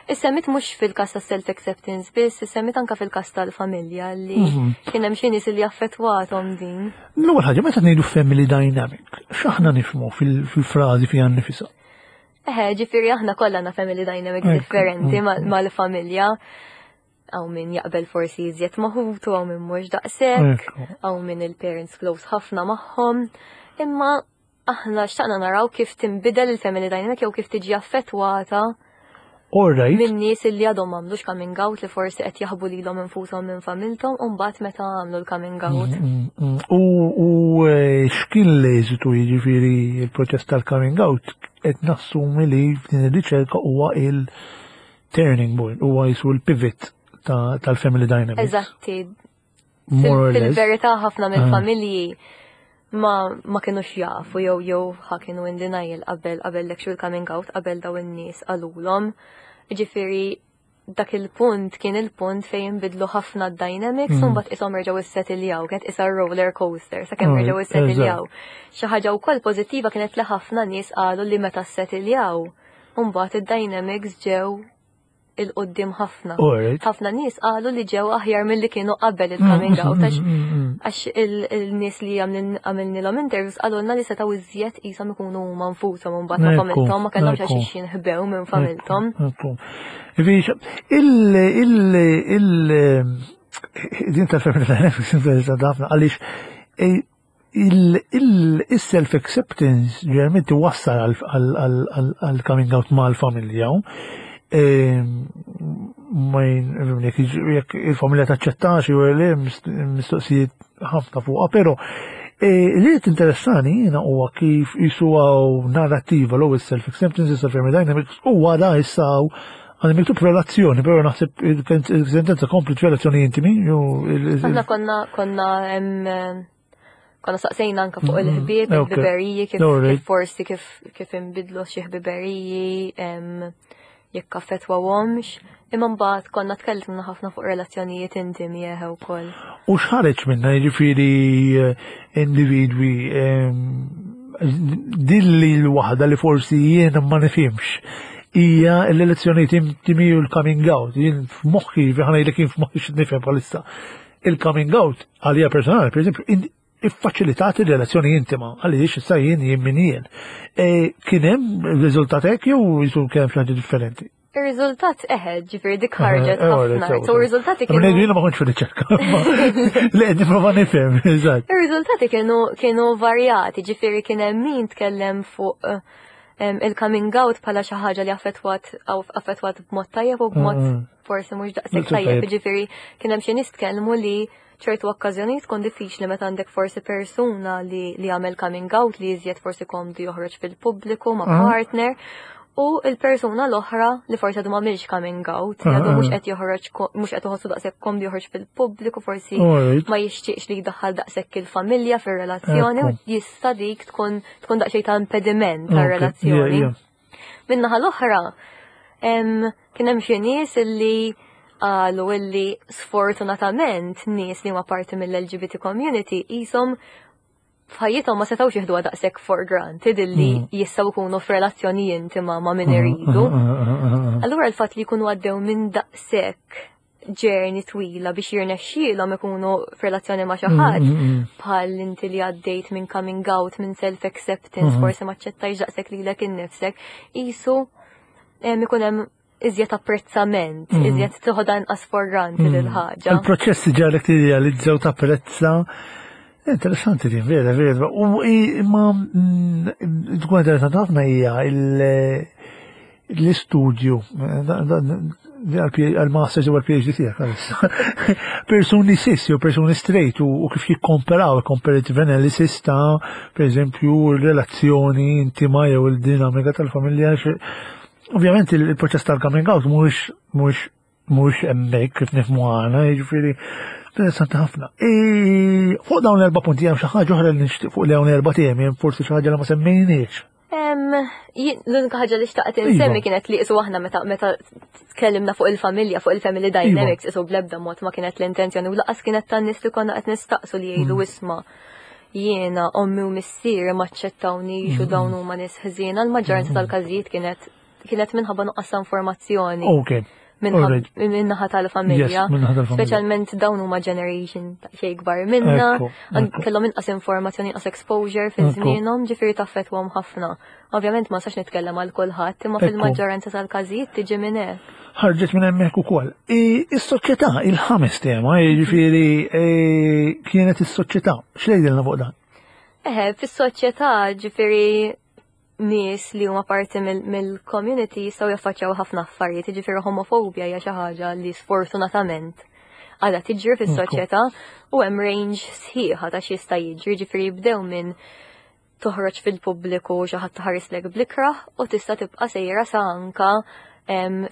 Issemmit mhux fil-każ ta' self-acceptance biss, issemmit anka fil-każ tal-familja li mhm. kien hemm xi nies li affettwathom din. L-ewwel ħaġa meta ngħidu family dynamic, x'aħna nifhmu fil-frażi fiha nnifisha? Eħe, ġifieri aħna kollha na family dynamics differenti mm. mal-familja. Hawn min jaqbel forsi iżjed maħutu, hawn min mhux daqshekk, hawn min il-parents close ħafna magħhom. Imma aħna xtaqna naraw kif tinbidel il-family dynamic jew kif tiġi affettwata Alright. Minn nies li għadhom m'għamlux coming out li forsi qed jaħbu lilhom infushom minn familthom u mbagħad meta għamlu l-coming out. Mm, mm, mm. U eh, x'kien l-eżitu jiġifieri il-proċess tal-coming out qed nassumi li f'din ir-riċerka huwa il-turning point, huwa jisu l-pivot tal-family dynamics. Eżatti. Fil-verità ħafna mill-familji ah. ma ma kienux jafu jew jew ħa kienu in denial qabel qabel l-actual coming out qabel daw in-nies qalulhom. Ġifieri dak il-punt kien il-punt fejn inbidlu ħafna d-dynamics u mbagħad ishom reġgħu issetiljaw, kienet isa roller coaster sakemm reġgħu issetiljaw. Xi ħaġa wkoll pożittiva kienet li ħafna nies qalu li meta ssetiljaw, mbagħad id-dynamics ġew il-qoddim ħafna. Ħafna nies qalu li ġew aħjar milli kienu qabel il-coming out għax mm, il-nies li għamilnilhom interviews qalulna li setgħu iżjed qishom ikunu huma nfushom imbagħad ma' familthom ma kellhomx għax jinħbew minn familthom. Il il il din tal-family dynamics interessanti ħafna għaliex eh, il-self-acceptance ġeneralment iwassal għal coming out mal-familja. Ehm, ma jekk il-familja taċċettax jew le mistoqsijiet ħafna fuqha, però eh, li qed interessani jiena huwa kif jisu narrattiva l self-acceptance, self-family dynamics u wara issa għandi miktub relazzjoni, però naħseb il-sentenza kompli relazzjoni intimi. Aħna konna konna konna saqsejna anka fuq mm-hmm. il-ħbieb, il-ħbiberiji, kif forsi kif kif inbidlu xi ħbiberiji, jekk affettwawhomx, imma mbagħad konna tkellimna ħafna fuq relazzjonijiet intimi eħe wkoll. U x'ħareġ minna jiġifieri eh, individwi dilli l-waħda li forsi jiena ma nifhimx hija l-elezzjonijiet intimi u l-coming out. Jien f'moħħi, ħana jgħidlek jien f'moħħi x'nifhem bħalissa. Il-coming out għalija personali, per eżempju, iffaċilitat ir-relazzjoni intima għaliex issa jien jien min jien. E, kien hemm riżultat hekk jew jisu kien hemm xi differenti? Ir-riżultat eħe, ġifieri dik ħarġet eh, ħafna. So ir-riżultati kienu. Ngħidu ma kontx fil-riċerka. Le, nipprova nifhem, eżatt. Ir-riżultati kienu kienu varjati, ġifieri kien hemm min tkellem fuq eh, il-coming out bħala xi ħaġa li affettwat affettwat b'mod tajjeb u b'mod mm. forsi mhux daqshekk tajjeb, ġifieri kien hemm xi nies tkellmu li ċertu okkażjonijiet tkun diffiċli meta għandek forsi persuna li li għamel coming out li iżjed forsi komdu joħroġ fil-pubbliku ma' ah. partner u il-persuna l-oħra li forsi għadu m'għamilx coming out, li għadu ah, mhux ah. qed joħroġ mhux qed iħossu daqshekk komdu joħroġ fil-pubbliku, forsi ma jixtieqx li jdaħħal daqshekk il-familja fir-relazzjoni u jista' dik tkun tkun daqsxejn ta' impediment tar-relazzjoni. Min-naħa l-oħra, kien hemm xi nies illi qalu illi sfortunatament nies li huma parti mill-LGBT community qishom f'ħajjithom ma setgħux jieħduha daqshekk for granted illi mm. jistgħu jkunu f'relazzjoni intima ma' min mm, iridu. Mm, Allura l-fatt li jkunu għaddew minn daqshekk journey twila biex jirnexxielhom ikunu f'relazzjoni ma' xi mm, ħadd mm, mm. bħal inti li għaddejt minn coming out, minn self-acceptance, mm-hmm. forsi ma ċċettajx daqshekk lilek innifsek, qisu ikun hemm iżjed apprezzament, iżjed tieħodha inqas for granted il-ħaġa. Il-proċess ġalek tirrealizza u tapprezza Interessanti din, vera, vera. U imma tkun interessanti ħafna hija l-istudju. Għal-masters u għal-PhD tiegħek għalissa. Persuni cis jew persuni straight u kif jikkomparaw comparative analysis ta' per eżempju relazzjoni intima jew il-dinamika tal-familja. Ovvjament il-proċess tal-coming out mhuwiex mhuwiex mhuwiex hemmhekk kif nifhmu aħna, jiġifieri interessanti ħafna. Fuq dawn l-erba' punti hemm xi ħaġa oħra li nixtieq fuq dawn l-erba' temi, hemm forsi xi ħaġa li ma semmejniex. L-unika ħaġa li xtaqt iva. insemmi kienet li isu aħna meta meta tkellimna fuq il-familja, fuq il-family iva. dynamics, isu bl-ebda mod ma kienet l-intenzjoni u laqas kienet tan-nies li konna qed nistaqsu li jgħidu mm. isma' jiena ommi u missieri ma ċċettawniex u mm. dawn huma nies ħżiena, l-maġġoranza mm. tal-każijiet kienet kienet minħabba nuqqas ta' informazzjoni. Okay. Minnaħa tal-familja. Speċjalment dawn huma generation ta' xej kbar minna, kellhom inqas informazzjoni, inqas exposure fi żmienhom, ġifieri taffettwahom ħafna. Ovvjament ma sax nitkellem għal kulħadd, imma fil-maġġoranza tal-każijiet tiġi minn hekk. Ħarġet minn hemmhekk ukoll. Is-soċjetà, il-ħames tema, jiġifieri kienet is-soċjetà. X'tgħidilna fuq dan? Eħe, fis-soċjetà ġifieri nies li huma parti mill-community jistgħu jaffaċċjaw ħafna affarijiet, jiġifieri homofobja hija xi ħaġa li sfortunatament għadha tiġri fis-soċjetà u hemm range sħiħa ta' x'jista' jiġri, jiġifieri jibdew minn toħroġ fil-pubbliku xi ħadd tħarislek blikrah u tista' tibqa' sejra sa anka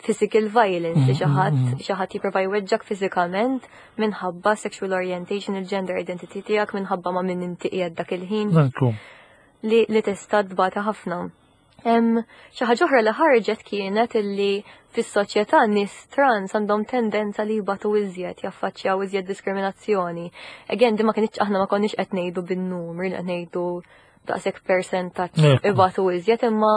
physical violence li xi ħadd mm-hmm. xi ħadd jipprova jweġġak fiżikament minħabba sexual orientation, il-gender identity tiegħek minħabba ma' min inti qiegħed dak il-ħin. Li, li tista' tbata ħafna. Xi ħaġa oħra li ħarġet kienet illi fis-soċjetà nies trans għandhom tendenza li jbatu iżjed, jaffaċċjaw iżjed diskriminazzjoni. Again, di ma kienx aħna ma konniex qed ngħidu bin-numri li qed ngħidu daqshekk persentaġġ ibatu iżjed, imma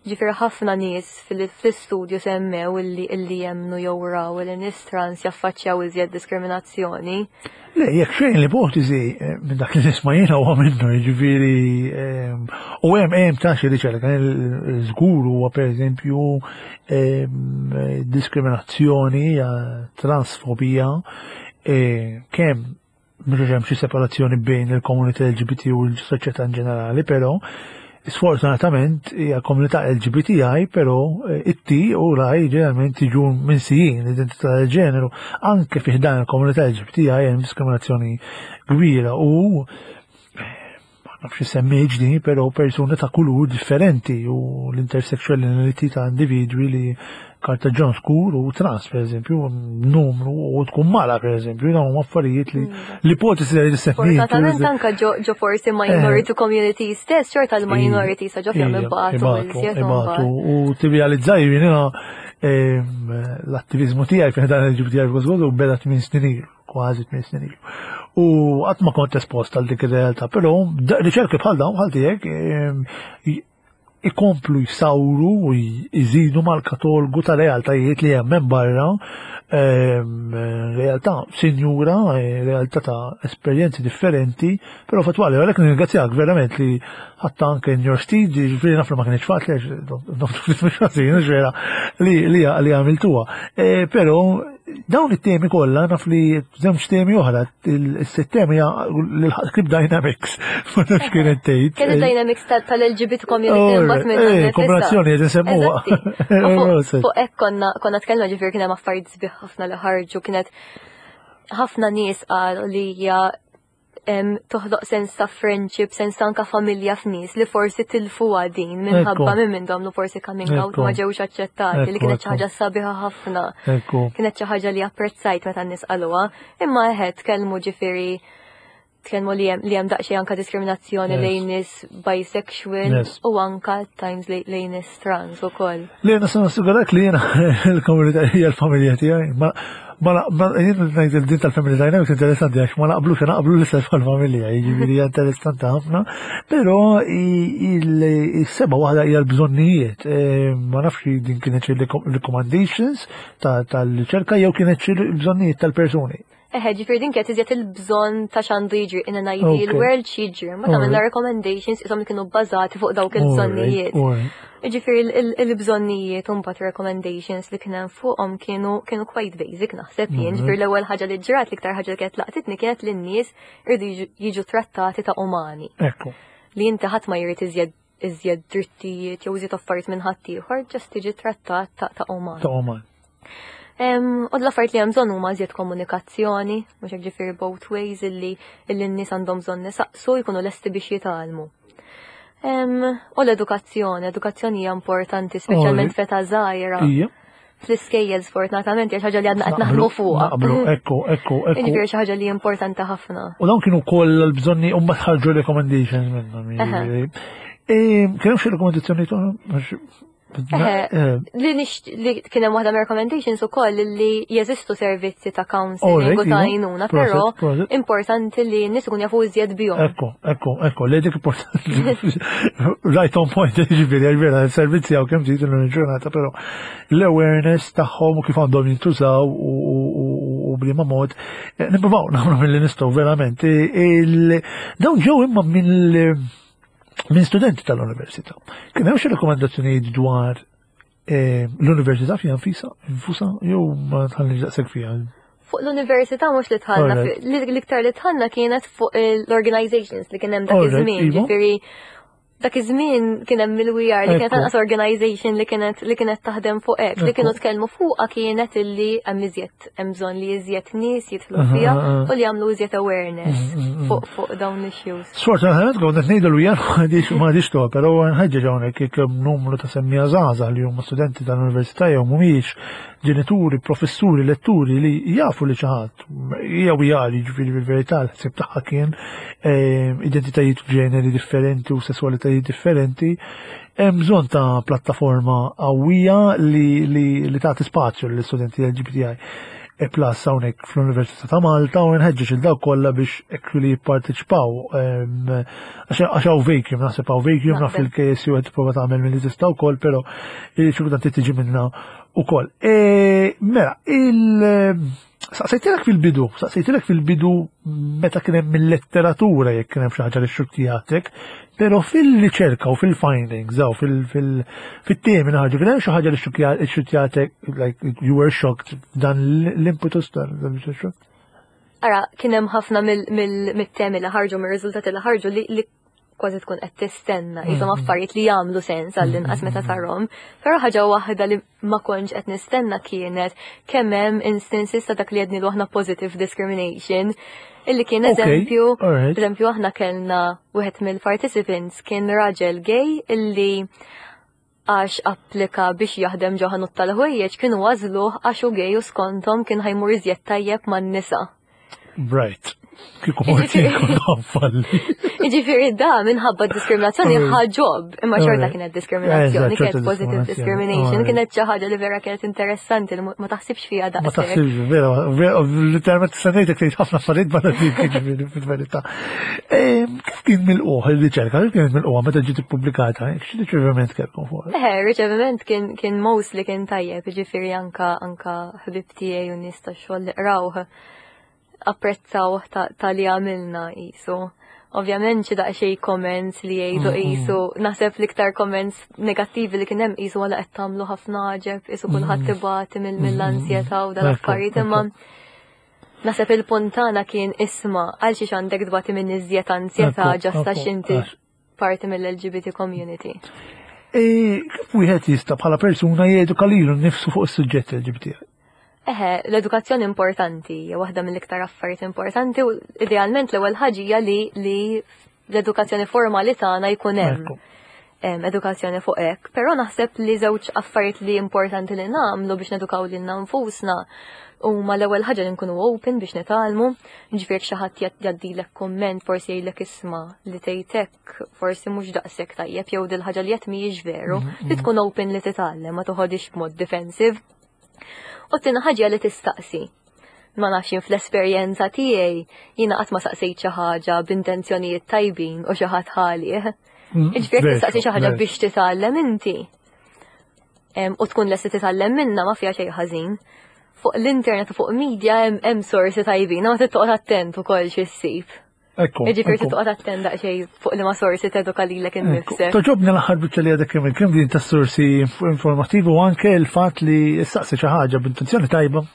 ġifieri ħafna nies fil-istudju semmew illi illi jemmnu jew raw li nies trans jaffaċċjaw iżjed diskriminazzjoni. Le, jekk xejn l-ipotezi eh, minn dak li nisma' jiena huwa minnu, jiġifieri ehm, u hemm hemm ta' xi riċerka żgur huwa pereżempju ehm, diskriminazzjoni, transfobija, eh, kemm mhux hemm xi separazzjoni bejn il-komunità LGBT u l-soċjetà in ġenerali, però Sfortunatament hija komunità LGBTI, però eh, it-T u l-I ġeneralment jiġu minsijin l-identità tal-ġeneru. Anke fih dan il-komunità LGBTI hemm diskriminazzjoni kbira u eh, ma nafx semmi ġdi, però persuni ta' kulur differenti u l-intersexuality ta' individwi li kartaġġon skur u trans, per eżempju, numru u tkun mara, per eżempju, dawn huma affarijiet li mm. l-ipotesi li semmi. Fortunatament anka ġo forsi minority eh. community stess, xorta l-minority sa ġo fjom ibatu. Ibatu, u tirrealizzaj jiena l-attivizmu tiegħi fejn dan il-LGBTI f'Gosgodu beda 8 snin ilu, kważi 8 snin ilu. U qatt ma kont espost għal dik ir-realtà, però riċerki bħal dawn bħal tiegħek ikomplu jsawru u jżidu mal-katolgu ta' realtajiet li hemm hemm barra, ehm, realtà sinjura, eh, realtà ta' esperjenzi differenti, però fatwali, għalhekk nirringrazzjak verament li ħatta anke in your steed, ġifieri naf li ma kienx faċli, mhux ħażin, vera li li għamiltuha. Eh, però dawn it-temi kollha naf li żewġ temi oħra, is-sitt temi l-Crip Dynamics, ma nafx kienet tgħid. Kienet Dynamics tal-LGBT community mbagħad minn eh, kombinazzjoni qed insemmuha. Fuq hekk konna konna tkellma ġifier kien hemm affarijiet sbieħ ħafna li ħarġu kienet ħafna nies qalu li hija toħloq sens ta' friendship, sens ta' anka familja f'nies li forsi tilfuha din minħabba minn minn domlu forsi coming out ma ġewx aċċettati li kienet xi ħaġa sabiħa ħafna. Kienet xi ħaġa li apprezzajt meta n-nies qaluha, imma eħe tkellmu ġifieri tkellmu li hemm li hemm daqsxejn anka diskriminazzjoni lejn nies bisexual u anka times lejn nies trans ukoll. Li jiena se nassigurak li jiena l-komunità hija l-familja tiegħi. Ma jien ngħid il-din tal-family dynamics interessanti għax ma naqblux naqblu l-istess mal-familja, jiġifieri hija interessanti ħafna, però il-seba waħda hija l-bżonnijiet. E, ma nafx din kienet xi recommendations tal-riċerka jew kienet xi bżonnijiet tal-persuni. Eħe, ġifieri din kienet iżjed il-bżonn ta' x'għandu jiġri in an ideal world x'jiġri, ma tagħmilna recommendations isom li kienu bbażati fuq dawk il-bżonnijiet. Ġifieri il-bżonnijiet u mbagħad recommendations li kien hemm fuqhom kienu kienu quite basic naħseb jien. Ġifieri l-ewwel ħaġa li ġrat l-iktar ħaġa li kienet laqtitni kienet li n-nies irdu jiġu trattati ta' umani. Ekku. Li inti ħadd ma jrid iżjed iżjed drittijiet jew iżjed affarijiet minn ħaddieħor, ġast tiġi trattat ta' uman. Ta' uman. U l-affarijiet li hemm bżonn huma iżjed komunikazzjoni, mhux hekk ġifieri both ways illi illi n-nies għandhom bżonn isaqsu jkunu lesti biex jitgħallmu. U l-edukazzjoni, edukazzjoni hija importanti speċjalment feta żgħira. Fl-iskejjel sfortunatament hija xi ħaġa li għadna qed naħdmu fuqha. Naqblu, ekku, ekku, ekku. Jiġifieri xi ħaġa li importanti ħafna. U dawn kienu koll l-bżonni u mbagħad ħarġu recommendations minnhom. Kien hemm xi rekomendazzjoni Eh, li li kien hemm waħda recommendations ukoll li jeżistu servizzi ta' counseling u ta' għajnuna, però importanti li n-nies ikun jafu iżjed bihom. Ekku, ekku, ekku, li dik importanti. Right on point, ġifieri, vera, servizzi hawn kemm trid il-ġurnata, però l-awareness tagħhom u kif għandhom jintużaw u bliema mod, eh, nippruvaw nagħmlu mill-li nistgħu verament. Dawn ġew imma mill minn studenti tal-università. Kien hemm xi rekomendazzjonijiet dwar eh, l-università fiha nfisa, nfusa jew ma tħallix daqshekk fiha. Fuq l-università mhux li tħallna, l-iktar li tħallna kienet fuq l-organizations li kien hemm dak iż-żmien, iva. ġifieri dak iż-żmien kien hemm il-VR li kienet anqas organization li kienet li kienet taħdem fuq hekk, li kienu tkellmu fuqha kienet illi hemm iżjed hemm bżonn li iżjed nies jidħlu fiha u li jagħmlu iżjed awareness mm, mm, mm. fuq fuq dawn l-issues. Sfortunatament kont qed ngħidu l m'għadix m'għadix to, però nħeġġeġ hawnhekk jekk hemm numru ta' semmija żgħażagħ li huma studenti tal-università jew mhumiex ġenituri, professuri, letturi li jafu li xi ħadd jew jgħali ġifieri fil-verità l-ħsieb tagħha kien eh, identitajiet ġeneri differenti u sesswalitajiet differenti Hemm bżonn ta' plattaforma qawwija li, li, li tagħti spazju lill-istudenti LGBTI e plus hawnhekk fl-Università ta' Malta u nħeġġeġ il dawk kollha biex actually jipparteċipaw għax hawn vacuum, naħseb hawn vacuum naf il-KSU qed tipprova tagħmel milli tista' wkoll, però xi kultant tiġi minna wkoll. E, mela, il Saqsejtilek fil-bidu, saqsejtilek fil-bidu meta kien hemm il-letteratura jekk kien hemm xi ħaġa li xxukkjatek, però fil-riċerka u fil-findings aw fil-temi ħarġu kien hemm xi ħaġa li xxukkjatek, like you were shocked dan l-impetus dan l Ara, kien hemm ħafna mill-temi li ħarġu, mir-riżultati li ħarġu li kważi tkun qed tistenna, jisom mm. affarijiet li jagħmlu sens għall-inqas meta mm. tarhom. Però ħaġa waħda li ma kontx qed nistenna kienet kemm hemm instances ta' dak li għedni aħna positive discrimination illi kien eżempju, eżempju aħna kellna wieħed mill-participants kien raġel gay illi għax applika biex jaħdem ġo ħanut tal-ħwejjeġ kienu għażluh għax hu gay u skonthom kien ħajmur iżjed tajjeb man-nisa. Right. Kieku morti kont falli. Jiġifieri da minħabba diskriminazzjoni ħa ġob, imma xorta kienet diskriminazzjoni, kienet positive discrimination, kienet xi ħaġa li vera kienet interessanti li ma taħsibx fiha daqshekk. Ma taħsibx, vera, vera, literalment stennejtek tgħid ħafna affarijiet barra dik jiġifieri fil-verità. Kif kien milquh il-riċerka, kif kienet milquha meta ġiet ippubblikata, xi riċeviment kellkom fuq? Eħe, riċeviment kien kien mostly kien tajjeb, jiġifieri anka anka ħbib tiegħi u nies tax-xogħol li qrawh apprezzaw ta' li għamilna qisu. Ovvjament xi daqsxejn comments li jgħidu qisu, naħseb l-iktar comments negattivi li kien hemm qisu għala qed tagħmlu ħafna għaġeb, qisu kulħadd ibati mill-ansjetà u dal-affarijiet imma naħseb il-punt tagħna kien isma' għal xiex għandek tbati minn iżjed ansjetà ġasta x'inti parti mill-LGBT community. E, kif wieħed jista' bħala persuna jeduka lilu nnifsu fuq is-suġġett LGBT? Eħe, l-edukazzjoni importanti, hija waħda mill-iktar affarijiet importanti u idealment l-ewwel ħaġa hija li li l-edukazzjoni formali tagħna jkun hemm edukazzjoni fuq hekk, però naħseb li żewġ affarijiet li importanti li nagħmlu biex nedukaw lilna nfusna huma l-ewwel ħaġa li nkunu open biex nitgħallmu, ġifieri xi ħadd jgħaddilek kumment forsi jgħidlek isma' li tgħid hekk forsi mhux daqshekk tajjeb jew dil-ħaġa li qed mhijiex veru, li tkun open li titgħallem ma toħodix b'mod defensive. U t-tieni ħaġa li tistaqsi. Ma nafx jien fl-esperjenza tiegħi jiena qatt ma saqsejt xi ħaġa b'intenzjonijiet tajbin u xi ħadd ħalih. Jiġifieri tistaqsi xi ħaġa biex titgħallem inti. U tkun lesti titgħallem minna ma fiha xejn ħażin. Fuq l-internet u fuq media hemm sorsi tajbin, ma tittoqgħod attent ukoll xi ssib. Ekku. Jiġifieri tittoqgħod attent daqsxejn fuq li ma sorsi teduka lilek innifsek. Toġobni l-aħħar biċċa li għadek kemm kemm din tas-sorsi informattivi u anke l-fatt li ssaqsi xi ħaġa b'intenzjoni tajba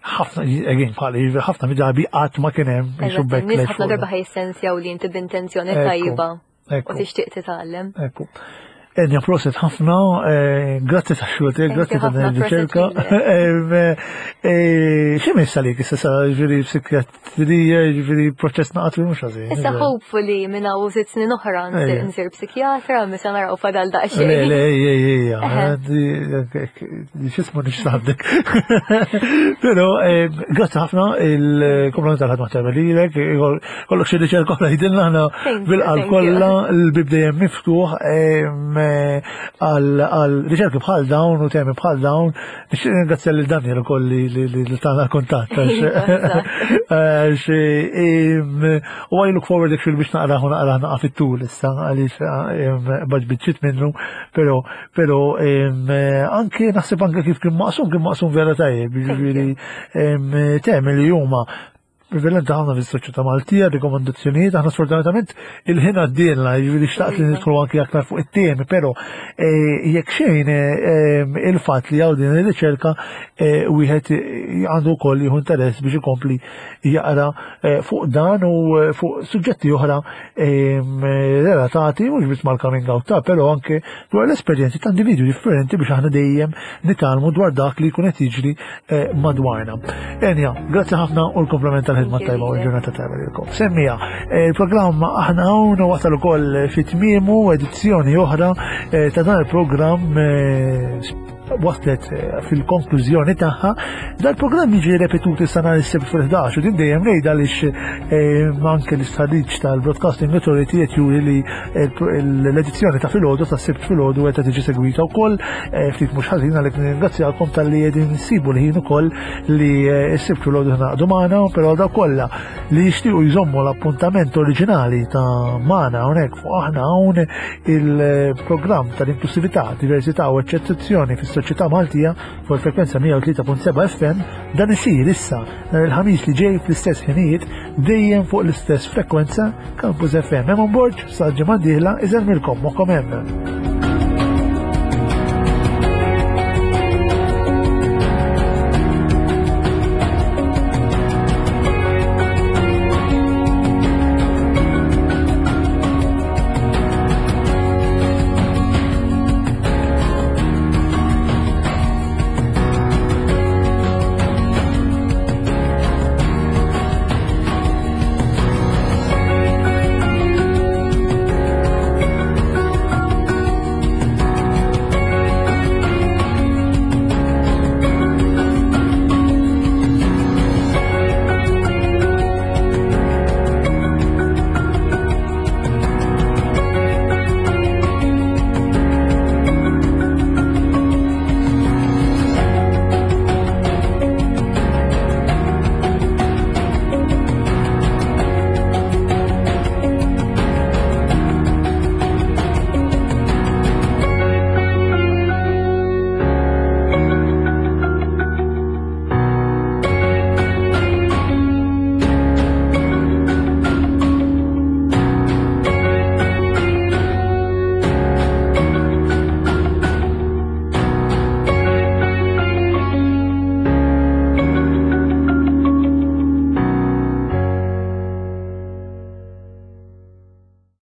ħafna, again, bħali, ħafna mid-drabi qatt ma kien hemm jisu backlash. Ħafna darba ħajsensjaw li inti b'intenzjoni tajba u tixtieq titgħallem. Ekku. Enja, proset ħafna, eh, grazzi ta' xogħol tiegħek, grazzi ta' din ir-riċerka. Eh, Xi missa li issa sa ġifieri psikjatrija, ġifieri proċess naqat mhux ħażin. Issa hopefully minn hawn sitt snin oħra nsir psikjatra, misa naraw fadal daqsxejn. Le, le, ejja, ejja, x'ismu nixtaħdek. Però eh, grazzi ħafna il-kompliment tal-ħadma tajba lilek, Kollok xi riċerka oħra jidilna aħna bil-qalb kollha l-bib dejjem miftuħ għal riċerki bħal dawn u temi bħal dawn. Nixtieq ringrazzja lil Daniel ukoll li tagħna kuntatt. U I look forward actually biex naqrah u naqrah naqa' fit-tul issa għaliex baġ minnu, però però anke naħseb anke kif kien maqsum kien maqsum vera tajjeb, jiġifieri temi li huma Prevalenti ħafna fis-soċjetà Maltija, rikomandazzjonijiet, aħna sfortunatament il-ħin għaddielna, jiġifieri xtaqt li nidħlu anki aktar fuq it-temi, però eh, jekk xejn eh, il-fatt li hawn din ir-riċerka eh, wieħed għandu wkoll jieħu interess biex ikompli jaqra fuq dan u fuq suġġetti oħra relatati mhux biss mal-coming out ta' però anke dwar l-esperjenzi ta' individwi differenti biex aħna dejjem nitgħallmu dwar dak li jkun qed jiġri eh, madwarna. Enja, grazzi ħafna u l-komplement tal-ħidma tajba u l-ġurnata tajba lilkom. Semmija, eh, il-programm aħna hawn u wasal ukoll fi tmiemu edizzjoni oħra eh, ta' dan il-programm waslet fil-konklużjoni tagħha. Dal-programm jiġi repetut issa nhar is-Sibt fil-11 u din dejjem ngħidha għaliex anke l-istħarriġ tal-Broadcasting Authority qed juri li l-edizzjoni ta' filgħodu ta' sibt filgħodu qed tiġi segwita wkoll eh, ftit mhux ħażin għalhekk nirringrazzjakom talli qegħdin nsibu l-ħin ukoll li eh, s-sibt filgħodu ħnaqdu magħna, però daw kollha li jixtiequ jżommu l-appuntament oriġinali ta' magħna hawnhekk fuq aħna hawn il-programm tal-inklusività, diversità u eċċezzjoni fis-soċjetà Maltija fuq il-frekwenza 103.7 FM dan isir issa nhar il-ħamis li ġej fl-istess ħinijiet dejjem fuq l-istess frekwenza Campus FM. Hemm on board sa ġimgħa dieħla iżermilkom moħħkom hemm.